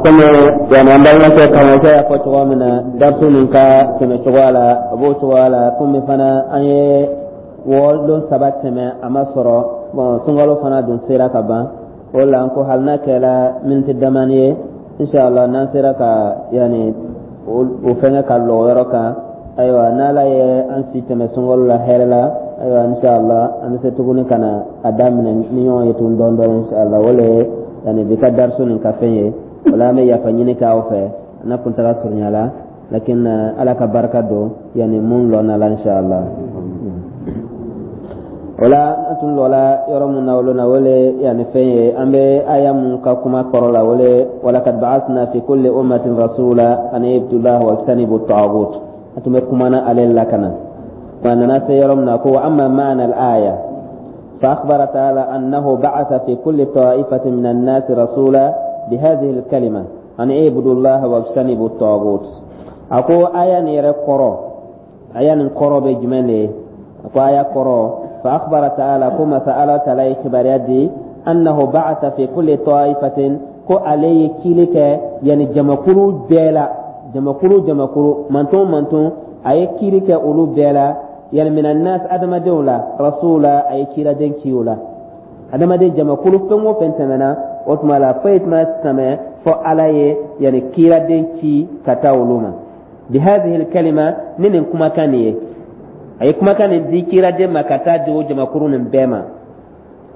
Komi yani an balimakɛ karamɔgɔkɛ y'a fɔ cogoya min na, darisu nin ka tɛmɛ cogoya la, a b'o cogoya la. Komi fana an ye wɔlon 3 tɛmɛ, a ma sɔrɔ. Bon, sunkalo fana dun sera ka ban. O la n ko hali n'a kɛra miniti damani ye, inshallah, n'an sera ka yani o fɛngɛ ka lɔ o yɔrɔ kan. Ayiwa, n'Ala ye an si tɛmɛ sunkalo la hɛrɛ la, ayiwa, inshallah, an bɛ se tuguni ka na a daminɛ ni ɲɔgɔn ye tuguni dɔɔni dɔɔni, inshallah. O le ye yani bi ka darisu nin ka fɛn ye. O la an bɛ yafa ɲini kɛ aw fɛ n'a kuntaga surunya la, lakin Ala ka barika don yani mun lɔnna la, inshallah. O la an tun lɔla yɔrɔ mun na, olu na o le yani fɛn ye an bɛ aya mun ka kuma kɔrɔ la, o le: walakad ba'athna fi kulli ummatin rasula an ibudullah wa ijtanibu taghut. An tun bɛ kumana ale la ka na a nana se yɔrɔ min na ko: wa amma ma'na al-aya فأخبر تعالى أنه بعث في كل طائفة من الناس رسولا بهذه الكلمة أن اعبدوا الله واجتنبوا الطاغوت. أكو آية نير قرو، آية نقرو بجمالي. أكو آية قرو: فأخبر تعالى، كما سأل تعالى خبر أنه بعث في كل طائفة، ko ale ye kili kɛ yani jamakulu bɛɛ la, jamakulu jamakulu, manton manton, a ye kili kɛ olu bɛɛ la, yani minan nas, adamadenw la, rasula, a ye kiraden ci o la. Adamaden jamakulu fɛn o fɛn tɛmɛna, o tuma la foyi tuma tɛmɛ fɔ Ala ye yani kiraden ci ka taa olu ma, bihadhihi alkalima, ni nin kumakan nin ye. A ye kumakan nin di kiraden ma ka taa di o jamakuru nin bɛɛ ma.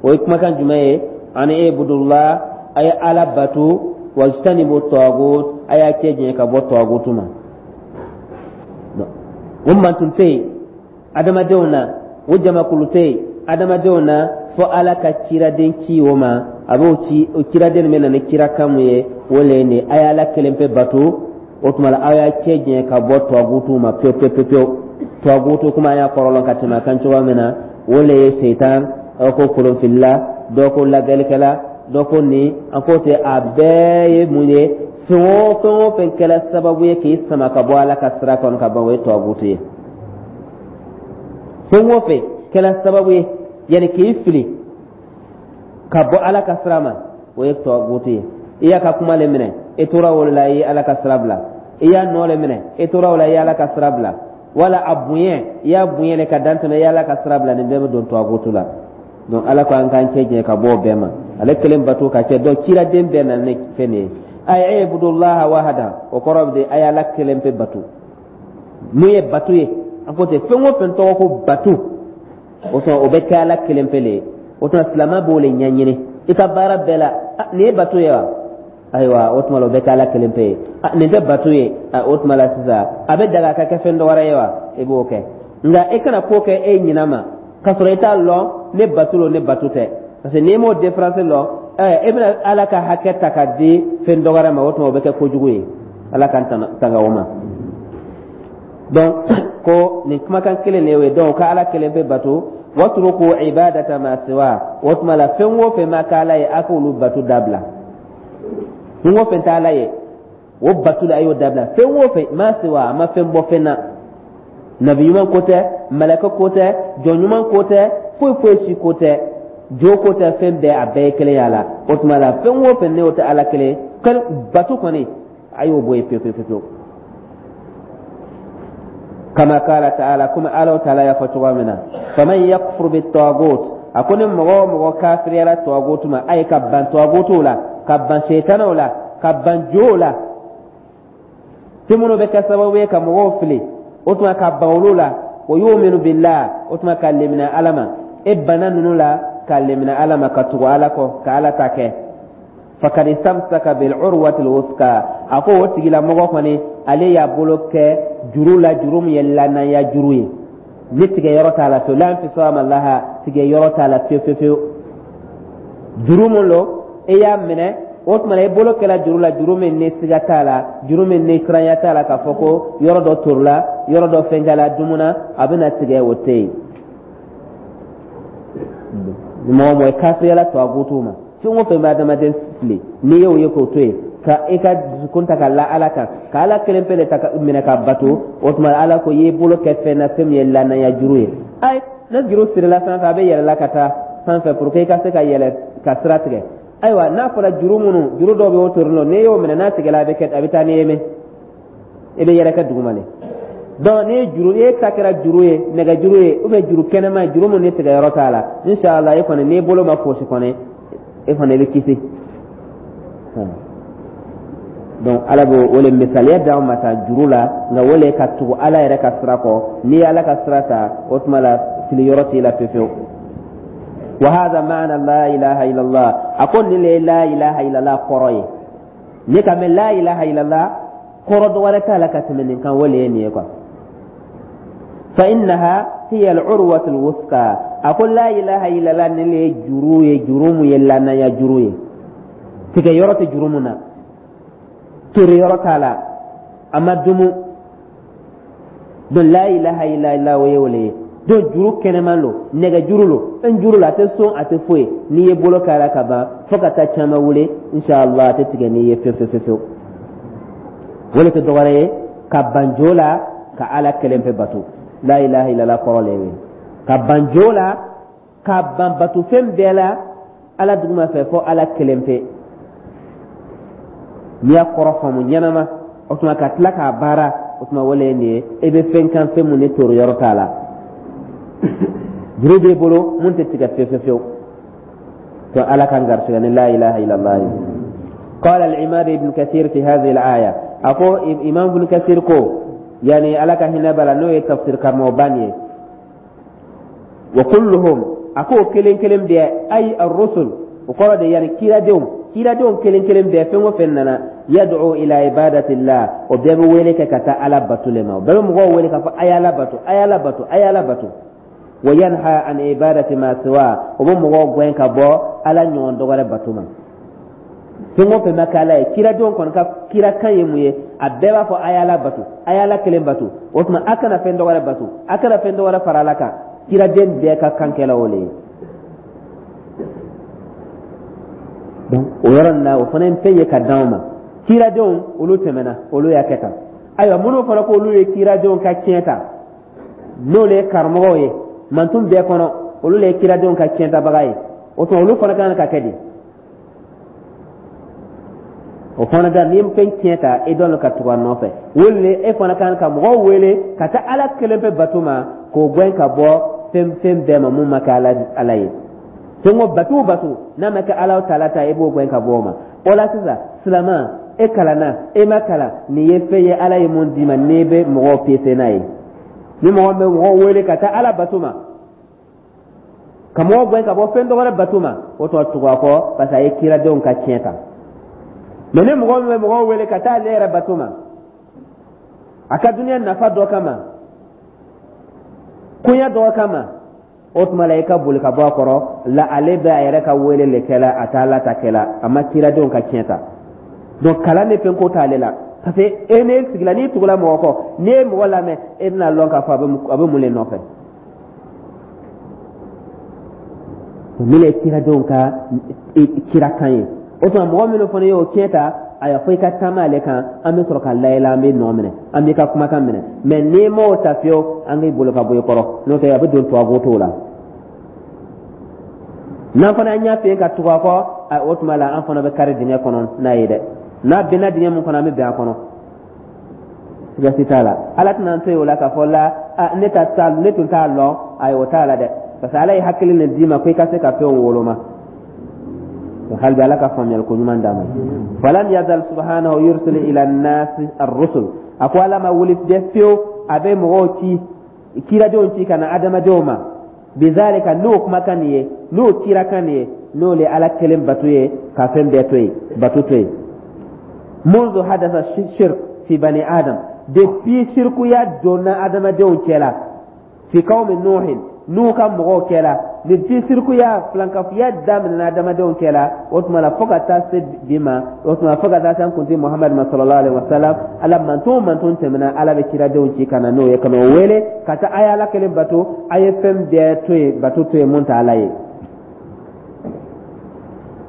O ye kumakan jumɛn ye? Ani ibudullah, a ye Ala bato, wajtanibu tagut, a y'a cɛ janya ka bɔ tagutu ma. O mantun tɛ yen adamadenw na, o jamakulu tɛ yen adamadenw na, fo Ala ka ciraden ci o ma. A b'o ci, o ciraden bɛ na ni kirakan mun ye, o le ye nin: a ye Ala kelen pe bato, o tuma la aw y'a cɛ janya ka bɔ tagutu ma pewu pewu pewu. Tagutu kuma, an y'a kɔrɔlɔn ka tɛmɛ a kan cogoya min na, o le ye seitan, aw ko kolonfilila, dɔ ko lagɛlikɛla, dɔ ko nin. An ko ten, a bɛɛ ye mun ye? Fɛn o fɛn o fɛn kɛra sababu ye k'i sama ka bɔ Ala ka sira kɔnɔ ka ban, o ye tagutu ye. Fɛn o fɛn kɛra sababu ye yanni k'i fili ka bɔ Ala ka sira ma, o ye tagutu ye. I y'a ka kuma le minɛ, i tora o la, i ye Ala ka sira bila. I y'a nɔ le minɛ, i tora o la, i ye Ala ka sira bila. Wala a bonya, i y'a bonya le ka dan tɛmɛ, i ye Ala ka sira bila. Nin bɛɛ bɛ don tagutu la. Donc Ala ko an k'an cɛ janya ka bɔ o bɛɛ ma, ale kelen bato ka cɛ. Donc ciraden bɛɛ nana ni fɛn nin ye: ay ibudullaha wahada. O kɔrɔ bɛ di? A ye Ala kelen pe bato. Mun ye bato ye? An ko ten, fɛn o fɛn tɔgɔ ko bato, o tuma o bɛ kɛ Ala kelen pe le ye. O tuma silamɛ b'o le ɲɛɲini i ka baara bɛɛ la. Nin ye bato ye wa? Ayiwa, o tuma la o bɛ kɛ Ala kelen pe ye. Nin tɛ bato ye, o tuma la sisan a bɛ daga ka kɛ fɛn dɔ wɛrɛ ye wa? I b'o kɛ, nka e kana ko kɛ e ɲinɛ ma k'a sɔrɔ i t'a lɔn ne bato lo, ne bato tɛ, parce que n'i m'o différence lɔn, e bɛna Ala ka hakɛ ta ka di fɛn dɔ wɛrɛ ma. O tuma o bɛ kɛ kojugu ye. Ala k'an tanga o ma. Donc ko nin kumakan kelen de y'o ye. Donc ka Ala kelen bɛ bato, watruku ibadata ma siwa. O tuma la fɛn o fɛn ma k'Ala ye, a k'olu bato dabila. Fɛn o fɛn tɛ Ala ye, o bato la, a y'o dabila. Fɛn o fɛn ma siwa, a ma fɛn bɔ fɛn na, nabi ɲuman ko tɛ, mɛlɛkɛ ko tɛ, jɔn ɲuman ko tɛ, foyi foyi si ko tɛ, jo ko tɛ, fɛn bɛɛ, a bɛɛ ye kelen y'a la. O tuma la fɛn o fɛn n'o tɛ Ala kelen bato kɔni, a y'o bɔ yen pewu pewu pewu. Kama kala taala, komi Ala taala y'a fɔ cogoya min na: faman yakfur bitagut, a ko ni mɔgɔ o mɔgɔ kafiriyara tagutu ma, a ye ka ban tagutuw la, ka ban seitanaw la, ka ban jow la, fɛn minnu bɛ kɛ sababu ye ka mɔgɔw fili, o tuma ka ban olu la, wa yuminu billah, o tuma ka lemina Ala ma. E banna ninnu la ka lemina Ala ma, ka tugu Ala kɔ, ka Ala ta kɛ, fakad istamsaka bil urwati alwuthqa, a ko o tigilamɔgɔ kɔni, ale y'a bolo kɛ juru la, juru min ye lanaya juru ye, ni tigɛ yɔrɔ t'a la fewu, la infisama laha, tigɛ yɔrɔ t'a la fewu fewu fewu. Juru mun lo e y'a minɛ, o tuma i bolo kɛla juru la, juru min ni siga t'a la, juru min ni siranya t'a la k'a fɔ ko yɔrɔ dɔ torila, yɔrɔ dɔ fɛnkɛla dumuna, a bɛna tigɛ, o tɛ yen. Mɔgɔ mɔgɔ kafiriyala tagutu ma, fɛn o fɛn bɛ adamaden fili, n'i y'o ye k'o to yen, ka i ka dusukun ta ka la Ala kan, ka Ala kelen pe de ta minɛ ka bato, o tuma Ala ko i y'i bolo kɛ fɛn na, fɛn min ye lanaya juru ye. Ayi, ne juru sirila sanfɛ, a bɛ yɛlɛla ka taa sanfɛ pour que i ka se ka yɛlɛ ka sira tigɛ. Ayiwa, n'a fɔra juru minnu, juru dɔw bɛ o torin n'i y'o minɛ, n'a tigɛla, a bɛ kɛ, a bɛ taa n'i ye mɛn, i bɛ yɛrɛkɛ duguma de. Donc ni ye juru, e ta kɛra juru ye, nɛgɛjuru ye ou bien juru kɛnɛma ye, juru mun ni tigɛyɔrɔ t'a la, inshallah, e kɔni, n'i bolo ma fosi kɔni, e kɔni, i bɛ kisi. Donc Ala b'o o le misaliya d'anw ma ta juru la, nka o le ka tugu Ala yɛrɛ ka sira kɔ. N'i ye Ala ka sira ta, o tuma la fili yɔrɔ t'i la fewu fewu. Wa hadha ma'na la ilaha illallah. A ko nin le ye la ilaha illallah kɔrɔ ye. Ne ka mɛn la ilaha illallah, kɔrɔ dɔ wɛrɛ t'a la ka tɛmɛ nin kan, o le ye nin ye quoi. Fa innaha hiya al-urwatu al-wuthqa. A ko la ilaha illallah, nin le ye juru ye, juru mun ye lanaya juru ye, tigɛ yɔrɔ tɛ juru mun na, tori yɔrɔ t'a la, a ma dumu. Donc la ilaha illallah, o ye o le ye. Donc juru kɛnɛman lo, nɛgɛ juru lo, fɛn juru la, a tɛ son, a tɛ foyi. N'i ye bolo k'a la ka ban, fo ka taa caman wuli, inshallah, a tɛ tigɛ n'i ye fewu fewu fewu. O le tɛ dɔwɛrɛ ye ka ban jo la ka Ala kelen pe bato. La ilaha illallah kɔrɔ le ye ka ban jo la, ka ban batofɛn bɛɛ la Ala duguma fɛ, fo Ala kelen pe. N'i y'a kɔrɔ faamu ɲɛnama, o tuma ka tila k'a baara, o tuma o le ye nin ye. E bɛ fɛn kan, fɛn mun ni toro yɔrɔ t'a la, juru b'i bolo mun tɛ tigɛ fewu fewu fewu. To Ala k'an garisɛgɛ ni la ilaha illallah ye. قال العماد ابن كثير في هذه الآية، أقول إمام ابن كثير كو يعني على كهنا بلا نو تفسير كرموباني، وكلهم، أكو كلين كلين بي، أي الرسل، وقال دي يعني كيرا دوم كيرا دوم كلين كلين بي فين وفننا يدعو إلى عبادة الله، وبيبي ويلك كتا على باتو لما وبيبي مغو ويلك أي على باتو، أي على باتو، أي على باتو، وينهى عن عبادة ما سواه، وبيبي مغو وين كبو على نيون دوغره باتو ما. Fɛn o fɛn ma kɛ Ala ye, kiradenw kɔni ka kirakan ye mun ye? A bɛɛ b'a fɔ a ye Ala bato, a ye Ala kelen bato. O tuma a kana fɛn dɔ wɛrɛ bato, a kana fɛn dɔ wɛrɛ fara Ala kan. Kiraden bɛɛ ka kan kɛla o le ye. Donc o yɔrɔ nin na, o fana ye fɛn ye ka d'anw ma. Kiradenw olu tɛmɛna, olu y'a kɛ tan. Ayiwa, minnu fɔra k'olu ye kiradenw ka tiɲɛ ta, n'olu ye karamɔgɔw ye mantun bɛɛ kɔnɔ, olu le ye kiradenw ka tiɲɛtabaga ye. O tuma olu fana kan ka kɛ di? O fana da, n'i ye fɛn tiɲɛ ta, e dɔn ka tugu a nɔfɛ. Wele e fana kan ka mɔgɔw wele ka taa Ala kelen pe bato ma, k'o gɛn ka bɔ fɛn fɛn bɛɛ ma mun ma kɛ Ala ye. Fɛn o bato o bato n'a ma kɛ Ala taala ta, e b'o gɛn ka bɔ o ma. O la sisan, silama, e kalanna, e ma kalan, nin ye fɛn ye Ala ye mun d'i ma, n'i bɛ mɔgɔw pese n'a ye. Ni mɔgɔ bɛ mɔgɔw wele ka taa Ala bato ma, ka mɔgɔw gɛn ka bɔ fɛn dɔ wɛrɛ bato ma, o tɔ tugu a kɔ, parce que a ye kiradenw ka tiɲɛ ta. Mɛ ni mɔgɔ min bɛ mɔgɔw wele ka taa ale yɛrɛ bato ma, a ka duniya nafa dɔ kama, koɲɛ dɔ kama, o tuma la i ka boli ka bɔ a kɔrɔ la. Ale bɛ a yɛrɛ ka wele le kɛla, a t'Ala ta kɛla, a ma kiradenw ka tiɲɛ ta. Donc kalan ni fɛn ko t'ale la, parce que e n'e sigila, n'i tugula mɔgɔ kɔ, n'i ye mɔgɔ lamɛn, e bɛna lɔn k'a fɔ a bɛ mun le nɔfɛ. Min ye kiradenw ka kirakan ye, o tuma mɔgɔ minnu fana ye o tiɲɛ ta, a y'a fɔ i ka taama ale kan, an bɛ sɔrɔ ka layɛlɛ, an bɛ nɔ minɛ, an b'i ka kumakan minɛ. Mɛ n'i m'o ta fiyewu, an k'i bolo ka bɔ i kɔrɔ, n'o tɛ a bɛ don tubabu t'o la. N'an fana an y'a fɛ ka tugu a kɔ, o tuma la an fana bɛ kari dingɛ kɔnɔ n'a ye dɛ. N'a binna dingɛ min kɔnɔ, an bɛ bin a kɔnɔ, siga si t'a la. Ala tɛna an to yen o la k'a fɔ la ne ta ta ne tun t'a lɔn. Ayi, o t'a la dɛ, parce que Ala ye hakili nin d'i ma ko i ka se ka fɛnw woloma. Hali bi Ala ka faamuyali ko ɲuman d'a ma. Falam yazal subhanahu yursilu ila nasi ar-rusul. A ko Ala ma wuli dɛ fiyewu, a bɛ mɔgɔw ci, kiradenw ci ka na adamadenw ma. Bizalika, n'o kumakan nin ye, n'o kirakan nin ye, n'o le Ala kelen bato ye, ka fɛn bɛɛ to yen, bato to yen. Munzu hadasa shirk fi bani adam, depuis shirkuya donna adamadenw cɛ la, fi qawmi nuhin, n'u ka mɔgɔw cɛ la, depuis shirkuya, filankafoya daminɛna adamadenw cɛ la, o tuma la fo ka taa se bi ma, o tuma fo ka taa se an kuntigi Muhamadu ma sallallahu alaihi wasallam. Ala manton o manton tɛmɛna, Ala bɛ kiradenw ci ka na n'o ye, ka n'o wele ka taa a ye Ala kelen bato, a ye fɛn bɛɛ to yen, bato to yen mun tɛ Ala ye.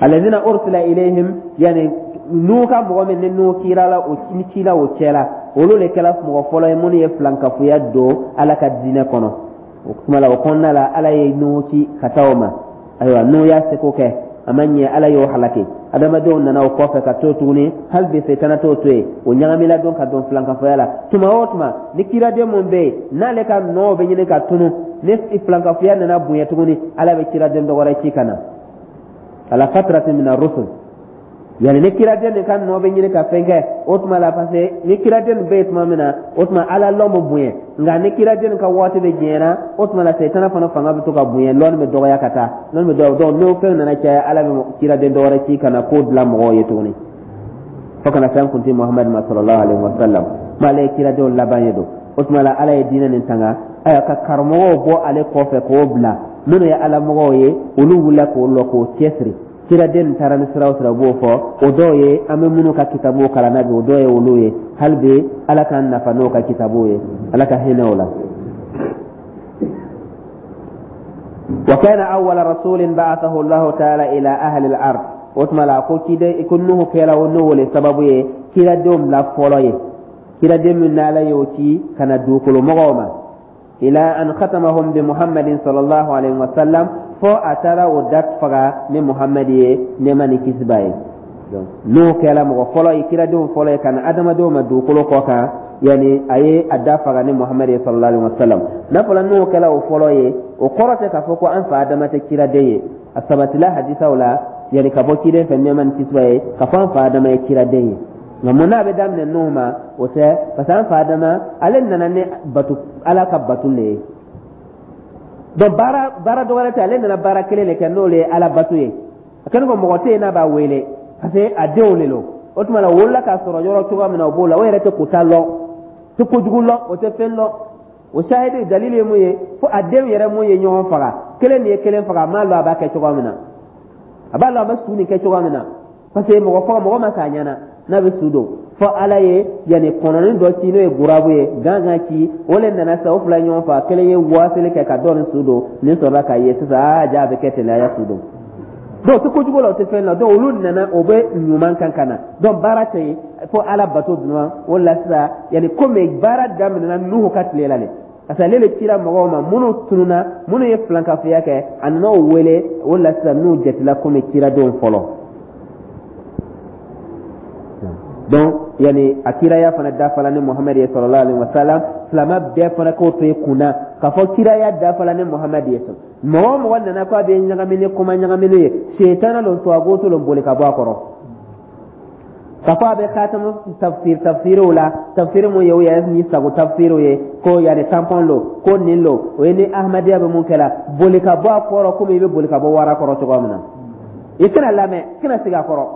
Alladhina ursila ilayhim, yani n'u ka mɔgɔ min ni n'u kira la, o ni ci la o cɛ la, olu de kɛra mɔgɔ fɔlɔ ye minnu ye filankafoya don Ala ka diinɛ kɔnɔ. O tuma la, o kɔnɔna la, Ala ye Nuhu ci ka taa o ma. Ayiwa, Nuhu y'a seko kɛ. A ma ɲɛ, Ala y'o halaki. Adamadenw nana o kɔfɛ ka to tuguni. Hali bi setana t'o to yen, o ɲagamila don ka don filankafoya la. Tuma o tuma ni kiraden mun bɛ yen n'ale ka nɔ bɛ ɲini ka tunu, ni filankafoya nana bonya tuguni, Ala bɛ kiraden dɔ wɛrɛ ci ka na ala fatratin mina rusul. Yani ni kiraden nin ka nɔ bɛ ɲini ka fɛn kɛ, o tuma la, parce que ni kiraden nin bɛ yen tuma min na, o tuma Ala lɔn bɛ bonya. Nka ni kiraden nin ka waati bɛ janyana, o tuma la setana fana fanga bɛ to ka bonya, lɔnni bɛ dɔgɔya ka taa, lɔnni bɛ dɔgɔya. Donc n'o fɛn nana caya, Ala bɛ kiraden dɔ wɛrɛ ci ka na ko dilan mɔgɔw ye tuguni, fo ka na se an kuntigi Muhamadu ma sallallahu alaihi wa sallam ma. Ale ye kiradenw laban ye don. O tuma la, Ala ye diinɛ nin tanga, ayiwa, ka karamɔgɔw bɔ ale kɔfɛ k'o bila. Minnu ye Ala mɔgɔw ye, olu wulila k'o lɔ k'o cɛsiri. Kiraden taara ni sira o sira, b'o fɔ. O dɔw ye an bɛ minnu ka kitabuw kalan na bi, o dɔw ye olu ye. Hali bi Ala k'an nafa n'o ka kitabuw ye, Ala ka hinɛ o la. Wa kana awwala rasulin ba'athahu Allahu ta'ala ila ahli al-ard. O tuma la, ko kiden ko Nuhu kɛra o n'o le sababu ye kiradenw bila fɔlɔ ye, kiraden min n'Ala y'o ci ka na dugukolo mɔgɔw ma, ila an khatamahum bi Muhammadin sallallahu alaihi wasallam, fo a taara o da faga ni Muhammad ye, nɛɛma ni kisi b'a ye. N'o kɛra mɔgɔ fɔlɔ ye, kiradenw fɔlɔ ye ka na adamadenw ma dugukolo kɔ kan, yani a ye a da faga ni Muhammad ye sallallahu alaihi wasallam. N'a fɔla n'o kɛra o fɔlɔ ye, o kɔrɔ tɛ k'a fɔ ko an fa Adama tɛ kiraden ye. A sabatila hadisaw la, yani ka bɔ ciden fɛ, nɛɛma ni kisi b'a ye, k'a fɔ an fa Adama ye kiraden ye. Nka mun n'a bɛ daminɛ Nuhu ma, o tɛ, parce que an fa Adama, ale nana ni bato, Ala ka bato le ye. Donc baara dɔ wɛrɛ tɛ, ale nana baara kelen de kɛ, n'o le ye Ala bato ye. A kɛlen ko mɔgɔ tɛ yen n'a b'a wele, parce que a denw de don. O tuma la, o wolola k'a sɔrɔ yɔrɔ cogoya min na, o b'o la. O yɛrɛ tɛ kota lɔn, tɛ kojugu lɔn, o tɛ fɛn lɔn. O sahidi dalili ye mun ye? Fo a denw yɛrɛ mun ye ɲɔgɔn faga, kelen de ye kelen faga, a m'a lɔn a b'a kɛ cogoya min na, a b'a lɔn a bɛ su nin kɛ cogoya min na, parce que mɔgɔ faga mɔgɔ ma s'a ɲɛna n'a bɛ su don. Fo Ala ye yanni kɔnɔnin dɔ ci, n'o ye gurabu ye, gangan ci, o le nana sa, o fila ɲɔgɔn faga. Kelen ye waasili kɛ ka dɔ nin su don, nin sɔrɔla k'a ye sisan, aa ja, a bɛ kɛ ten, a y'a su don. Donc o tɛ kojugu la, o tɛ fɛn la. Donc olu nana, o bɛ ɲuman kan ka na. Donc baara tɛ yen fo Ala bato dɔrɔn. O la sisan, yanni komi baara daminɛna Nuhu ka tile la de, parce que ale le cira mɔgɔw ma minnu tununa, minnu ye filankafoya kɛ, a nana o wele. O la sisan, n'u jatila komi ciradenw fɔlɔ. Donc yani a kiraya fana dafala ni Muhamadu ye sallallahu alaihi wasallam. Silamɛ bɛɛ fana k'o to i kunna k'a fɔ kiraya dafala ni Muhamadu ye. Sɔn mɔgɔ o mɔgɔ nana k'a bɛ ɲagami ni kuma ɲagamini ye, setana lon, tubabu lon, boli ka bɔ a kɔrɔ. K'a fɔ a bɛ khatamu tafsir tafsiriw la, tafsiri mun ye o yɛrɛ ni sago tafsiriw ye, ko yani tampon lo, ko nin lo, o ye ni Ahmadiyya bɛ mun kɛ la, boli ka bɔ a kɔrɔ komi i bɛ boli ka bɔ wara kɔrɔ cogoya min na. I kana lamɛn, i kana sigi a kɔrɔ.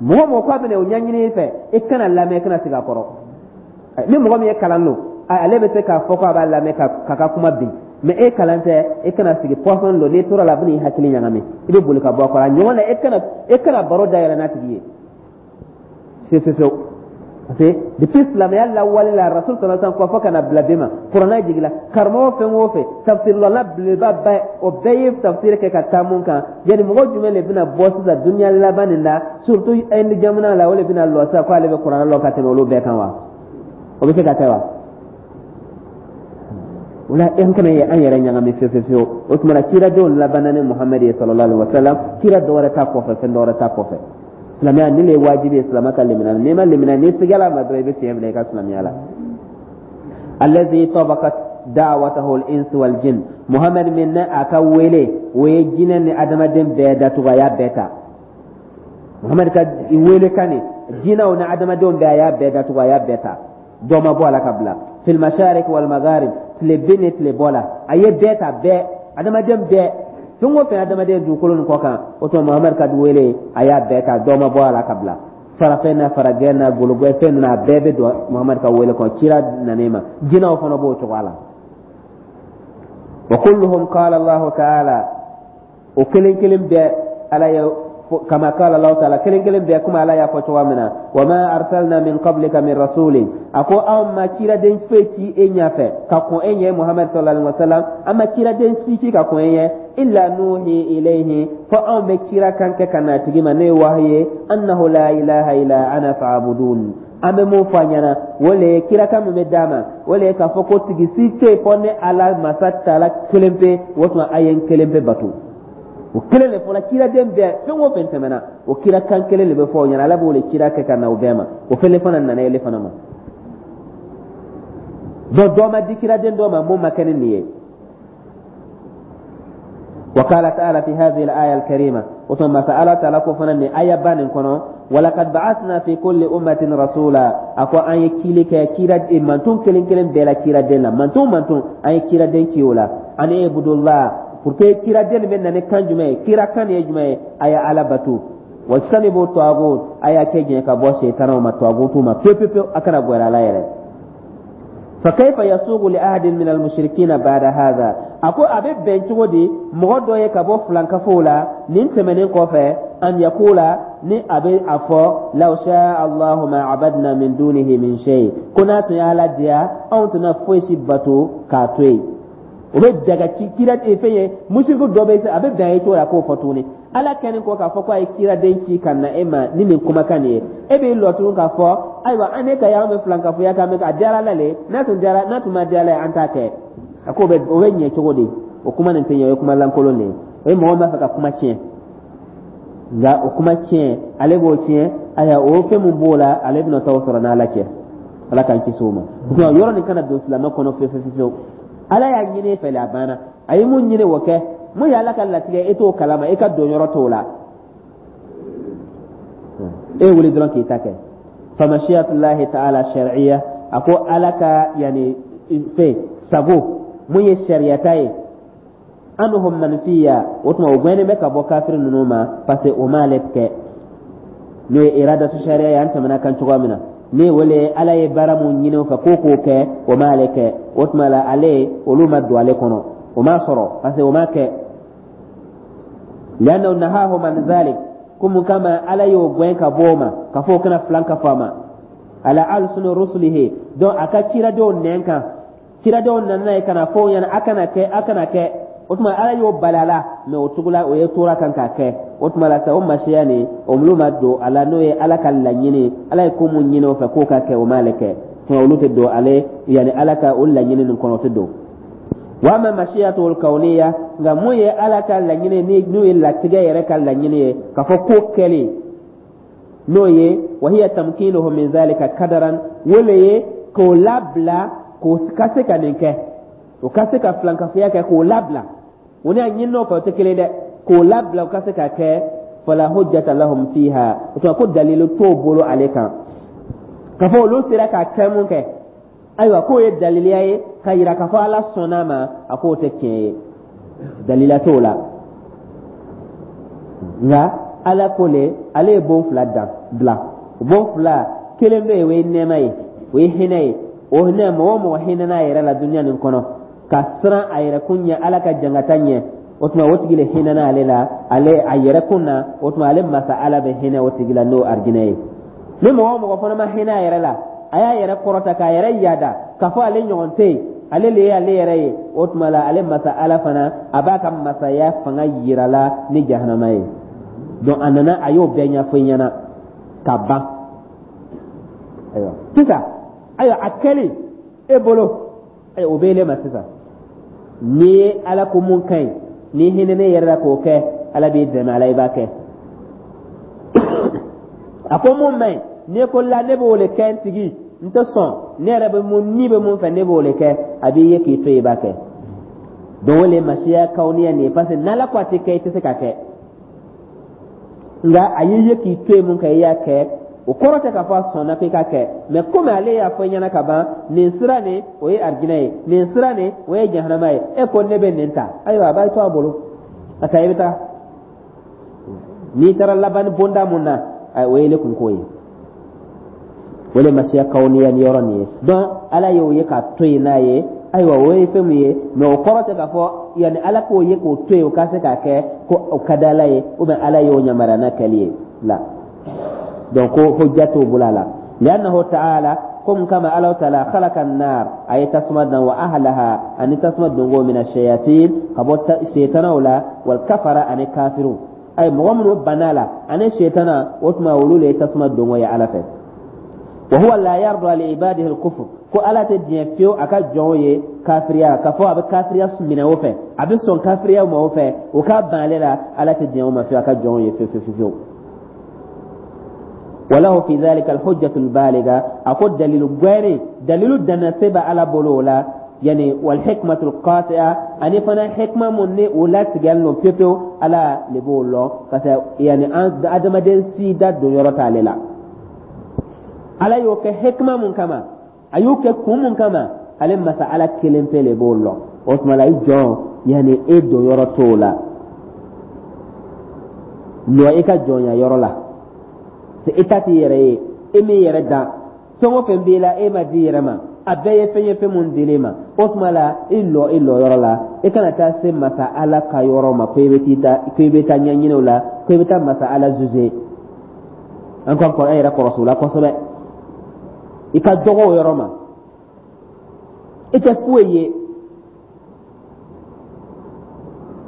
Mɔgɔ mɔgɔ k'a bɛna o ɲɛɲini i fɛ, i kana lamɛn, i kana sigi a kɔrɔ. Ni mɔgɔ min ye kalan don, ale bɛ se k'a fɔ ko a b'a lamɛn k'a ka kuma bin. Mais e kalan tɛ, e kana sigi. Poison don, n'i tora la, a bɛna i hakili ɲagami, i bɛ boli ka bɔ a kɔrɔ. A ɲɔgɔn na, e kana baro dayɛlɛ n'a tigi ye fewu fewu fewu. Parce que depuis silamɛya lawale la, Rasul sallallahu alaihi wasallam kɔ, fo ka na bila bi ma, kuranɛ jigila, karamɔgɔ fɛn o fɛn, tafsirilɔla belebeleba bɛɛ, o bɛɛ ye tafsiri kɛ ka taa mun kan. Yani mɔgɔ jumɛn de bɛna bɔ sisan dunuya laban nin na, surtout Inde jamana la, o de bɛna lɔ sisan ko ale bɛ kuranɛ lɔn ka tɛmɛ olu bɛɛ kan wa? O bɛ se ka kɛ wa? O la, an kana ye an yɛrɛ ɲagami fewu fewu fewu. O tuma na, kiradenw labanna ni Muhamadu ye sallallahu alaihi wasallam. Kira dɔwɛrɛ t'a kɔfɛ, fɛn dɔwɛrɛ t'a kɔfɛ. Silamɛya nin le ye wajibi ye silamɛ ka limaniya. N'i ma limaniya, n'i sigala ma dɔrɔn, i bɛ fiɲɛ minɛ i ka silamɛya la. Allazi tabaqat da'watahu al-ins wal jinn, Muhammad min ne a ka wele, o ye jinɛ ni adamaden bɛɛ datugu, a y'a bɛɛ ta. Muhammad ka wele kan nin, jinɛw ni adamadenw bɛɛ, a y'a bɛɛ datugu, a y'a bɛɛ ta, dɔ ma bɔ a la ka bila. Fil masharik wal magharib, tile bin ni tile bɔ la, a ye bɛɛ ta, bɛɛ, adamaden bɛɛ, fɛn o fɛn adamaden dugukolo nin kɔ kan. O tuma Muhamadu ka wele, a y'a bɛɛ ta, dɔ ma bɔ a la ka bila. Farafɛn na, faragɛ na, gologɛ fɛn ninnu, a bɛɛ bɛ don Muhamadu ka wele kɔnɔ. Kira nan'i ma, jinɛw fana b'o cogoya la. Wa kulluhum qala Allahu ta'ala, o kelen kelen bɛɛ Ala ye, kama qala Allahu ta'ala, kelen kelen bɛɛ kuma Ala y'a fɔ cogoya min na: wa ma arsalna min qablika min rasulin, a ko anw ma ciraden foyi ci e ɲɛfɛ ka kɔn e ɲɛ, Muhammad sallallahu alaihi wasallam, an ma ciraden si ci ka kɔn e ɲɛ, illa nuhi ilayhi, fo anw bɛ cira kan kɛ ka na tigi ma, n'o ye wahayi ye, annahu la ilaha illa ana fa'budun. An bɛ mun fɔ a ɲɛna? O le ye kirakan min bɛ d'a ma, o le ye k'a fɔ ko tigi si tɛ yen fɔ ne Ala masa taala kelen pe. O tuma a ye n kelen pe bato. O kelen de fɔla ciraden bɛɛ, fɛn o fɛn tɛmɛna, o kira kan kelen de bɛ fɔ o ɲɛna. Ala b'o le cira kɛ ka na o bɛɛ ma, o fɛnɛ fana nana ele fana ma. Donc dɔ ma di ciraden dɔ ma mun ma kɛ ni nin ye. وقال تعالى في هذه الآية الكريمة، وثم سأل تعالى كفنا آية بان كنو: ولقد بعثنا في كل أمة رسولا. أكو أن يكيلي كيرا مانتون كلين كلين بلا كيرا دين مانتون مانتون أن يكيرا دين كيولا أن يعبدوا الله. Pour que kiraden bɛ na ni kan jumɛn ye? Kira kan ye jumɛn ye? A ye Ala batu. Wajtanibu tagut, a y'a kɛ jɛn ka bɔ setanaw ma, tagutu ma pewu pewu pewu, a kana gɛrɛ ala yɛrɛ. Fa kayfa yasugu li ahadin min almushrikina ba'da hadha? A ko a bɛ bɛn cogo di mɔgɔ dɔ ye ka bɔ filankafow la nin tɛmɛnen kɔfɛ, an yakula, ni a bɛ a fɔ: law sha Allahu ma abadna min dunihi min shay, ko n'a tun y'Ala diya, anw tɛna foyi si bato k'a to yen. O bɛ daga ci kira fɛn ye, musiriku dɔ bɛ a bɛ bɛn a ye cogo la k'o fɔ tuguni. Ala kɛlen kɔ k'a fɔ ko a ye kiraden ci ka na e ma ni nin kumakan nin ye, e b'i lɔ tuguni k'a fɔ: ayiwa, an ne ka y'an bɛ filankafoya k'an bɛ a diyara Ala le, n'a tun diyara, n'a tun ma diya Ala ye, an t'a kɛ. A ko o bɛ ɲɛ cogo di? O kuma nin tɛ ɲɛ, o ye kuma lankolon de ye. O ye mɔgɔ b'a fɛ ka kuma tiɲɛ, nka o kuma tiɲɛ, ale b'o tiɲɛ. Ayiwa, o fɛn min b'o la, ale bɛna t'o sɔrɔ n'Ala cɛ. Ala k'an kisi o ma. Yɔrɔ nin kana don silamɛ kɔnɔ fewu fewu fewu. Ala y'a ɲini e fɛ, a banna. A ye mun ɲini, o kɛ. Mun ye Ala ka latigɛ, e t'o kalama, e ka don yɔrɔ t'o la. E wuli dɔrɔn k'i ta kɛ. Famashiyatullahi ta'ala shar'iyya. A ko Ala ka yani fɛn sago mun ye sariyata ye, anhum manfiya. O tuma o gɛnnen bɛ ka bɔ kafiri ninnu ma, parce que o m'ale kɛ. N'o ye iradatu sariya ye, an tɛmɛna kan cogoya min na, ni wele Ala ye baara mun ɲini o fɛ k'o k'o kɛ, o m'ale kɛ. O tuma la, ale olu ma don ale kɔnɔ, o m'a sɔrɔ, parce que o m'a kɛ. Li'annahu nahahum an dhalik, ko mun kama Ala y'o gɛn ka bɔ o ma, ka fɔ o kana filan ka fɔ a ma ala alsuni rusulihi. Donc a ka ciradenw nɛn kan, ciradenw nana ye ka na fɔ o ɲɛna: a kana kɛ, a kana kɛ. O tuma Ala y'o bali a la, mɛ o tugula o ye tora kan k'a kɛ. O tuma la sa, o masiya nin, o olu ma don a la. N'o ye Ala ka laɲini, Ala ye ko mun ɲini o fɛ k'o ka kɛ, o m'ale kɛ. Tuma olu tɛ don ale, yanni Ala ka o laɲini nin kɔnɔ, o tɛ don. Wa ama mashiyatul kauniya, nka mun ye Ala ka laɲini ni n'o ye latigɛ yɛrɛ ka laɲini ye, k'a fɔ ko kɛlen, n'o ye wa hiya tamkinuhu min zalika kadaran, o le ye k'o labila k'o ka se ka nin kɛ, o ka se ka filankafoya kɛ, k'o labila. O ni a ɲininaw fɛ, o tɛ kelen dɛ. K'o labila o ka se ka kɛ, fala hujjata lahum fiha. O tuma ko dalilu t'o bolo ale kan k'a fɔ olu sera k'a kɛ mun kɛ. Ayiwa, k'o ye daliliya ye ka yira k'a fɔ Ala sɔnna ma. A k'o tɛ tiɲɛ ye, dalila t'o la. Nka Ala ko le, ale ye bon fila dan dilan. Bon fila kelen bɛ yen, o ye nɛɛma ye, o ye hinɛ ye. O hinɛ, mɔgɔ o mɔgɔ hinɛna a yɛrɛ la dunuya nin kɔnɔ, ka siran a yɛrɛ kun ɲɛ, Ala ka jangata ɲɛ, o tuma o tigi le hinɛna ale la, ale a yɛrɛ kun na. O tuma ale masa Ala bɛ hinɛ o tigi la, n'o arijinɛ ye. Ni mɔgɔ o mɔgɔ fana ma hinɛ a yɛrɛ la, a y'a yɛrɛ kɔrɔta k'a yɛrɛ yaada k'a fɔ ale ɲɔgɔn tɛ yen, ale le ye ale yɛrɛ ye, o tuma la ale masa Ala fana a b'a ka masaya fanga yira la ni jahanama ye. Donc a nana, a y'o bɛɛ ɲɛfɔ i ɲɛna ka ban. Ayiwa sisan, ayiwa, a kɛlen e bolo, ayiwa, o bɛ ele ma sisan. N'i ye Ala ko mun ka ɲi, n'i hinɛ ne yɛrɛ la k'o kɛ, Ala b'i dɛmɛ, ala i b'a kɛ. A ko mun man ɲi, n'i ko la ne b'o le kɛ, n tigi n tɛ sɔn, ne yɛrɛ bɛ mun ni bɛ mun fɛ, ne b'o le kɛ, a b'i ye k'i to yen, i b'a kɛ. Donc o le masiya kawuniya nin ye, parce que n'Ala ko a tɛ kɛ, i tɛ se ka kɛ. Nka a y'i ye k'i to yen mun kɛ, i y'a kɛ. O kɔrɔ tɛ k'a fɔ a sɔnna k'i ka kɛ, mɛ komi ale y'a fɔ i ɲɛna ka ban, nin sira nin, o ye arijinɛ ye, nin sira nin, o ye jahanama ye, e ko ne bɛ nin ta. Ayiwa, a b'a to a bolo a ta, i bɛ taa. N'i taara laban bonda mun na, o ye ne kunko ye. O le masiya kawuniya ni yɔrɔ nin ye. Donc Ala y'o ye k'a to yen n'a ye. Ayiwa, o ye fɛn min ye, mɛ o kɔrɔ tɛ k'a fɔ yanni Ala k'o ye k'o to yen, o ka se k'a kɛ ko o ka di Ala ye, ou bien Ala y'o yamaruya n'a kɛli ye la. Donc ko hujja t'o bolo a la. Li'annahu ta'ala, ko kama Ala ta'ala khalaqa an-nar, a ye tasuma dan, wa ahlaha, ani tasuma dongo, min ash-shayatin, ka bɔ setanaw la, wal kafara, ani kafiru. Ay mɔgɔ minnu banna la ani setana, o tuma olu le ye tasuma dongo ye Ala fɛ. Wa huwa la yarda li ibadihi al-kufr, ko Ala tɛ diɲɛ fiyewu a ka jɔnw ye. kafiriya, k'a fɔ a bɛ kafiriya minɛ o fɛ, a bɛ sɔn kafiriya ma o fɛ, o ka ban ale la, Ala tɛ diɲɛ o ma fiyewu a ka jɔnw ye fiyewu fiyewu fiyewu. Walahu fi dhalika alhujjatu albaliga, a ko dalilu gwɛri, dalilu dannase bɛ Ala bolo o la, yani wal hikmatu alqati'a, ani fana hikma mun ni o latigɛlen don pewu pewu, Ala le b'o lɔn, parce que yani an adamaden si da don yɔrɔ t'ale la. Ala y'o kɛ hikma mun kama, a y'o kɛ kun mun kama, ale masa Ala kelen pe le b'o lɔn. O tuma la, i jɔn, yani e don yɔrɔ t'o la. Lɔ i ka jɔnya yɔrɔ la, i ta t'i yɛrɛ ye, e m'i yɛrɛ dan. Fɛn o fɛn b'i la, e ma di yɛrɛ ma, a bɛɛ ye fɛn ye, fɛn mun dil'i ma. O tuma la, i lɔ i lɔ yɔrɔ la, i kana taa se masa Ala ka yɔrɔ ma ko i bɛ t'i ta, ko i bɛ taa ɲɛɲini o la, ko i bɛ taa masa Ala juger. An ka an yɛrɛ kɔlɔsi o la kosɛbɛ. I ka dɔgɔ o yɔrɔ ma, i tɛ foyi ye.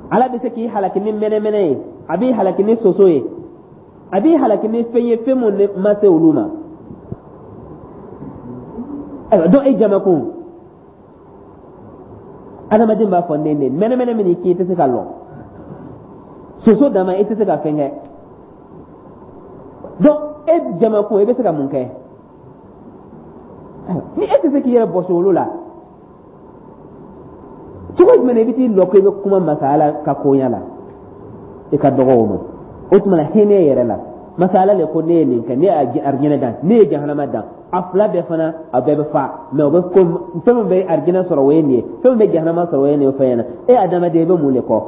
Ala bɛ se k'i halaki ni mɛnɛmɛnɛ ye, a b'i halaki ni soso ye, a b'i halaki ni fɛn ye, fɛn mun ma se olu ma. Ayiwa, donc e jamakun adamaden b'a fɔ ne mɛnɛmɛnɛ min k'i tɛ se ka lɔ, soso dama i tɛ se ka fɛn kɛ. Donc e jamakun, e bɛ se ka mun kɛ ni e tɛ se k'i yɛrɛ bɔsi olu la? Cogo jumɛn i bɛ t'i lɔ ko i bɛ kuma masa Ala ka koɲa la? I ka dɔgɔ o ma. O tuma na, hinɛ yɛrɛ la, masa Ala le ko ne ye nin kɛ, ne ye arijinɛ dan, ne ye jahanama dan, a fila bɛɛ fana, a bɛɛ bɛ fa mɛ, o bɛ ko fɛn min bɛ arijinɛ sɔrɔ, o ye nin ye, fɛn min bɛ jahanama sɔrɔ, o ye nin ye. O fɛn ɲɛna, e adamaden, i bɛ mun de kɔ?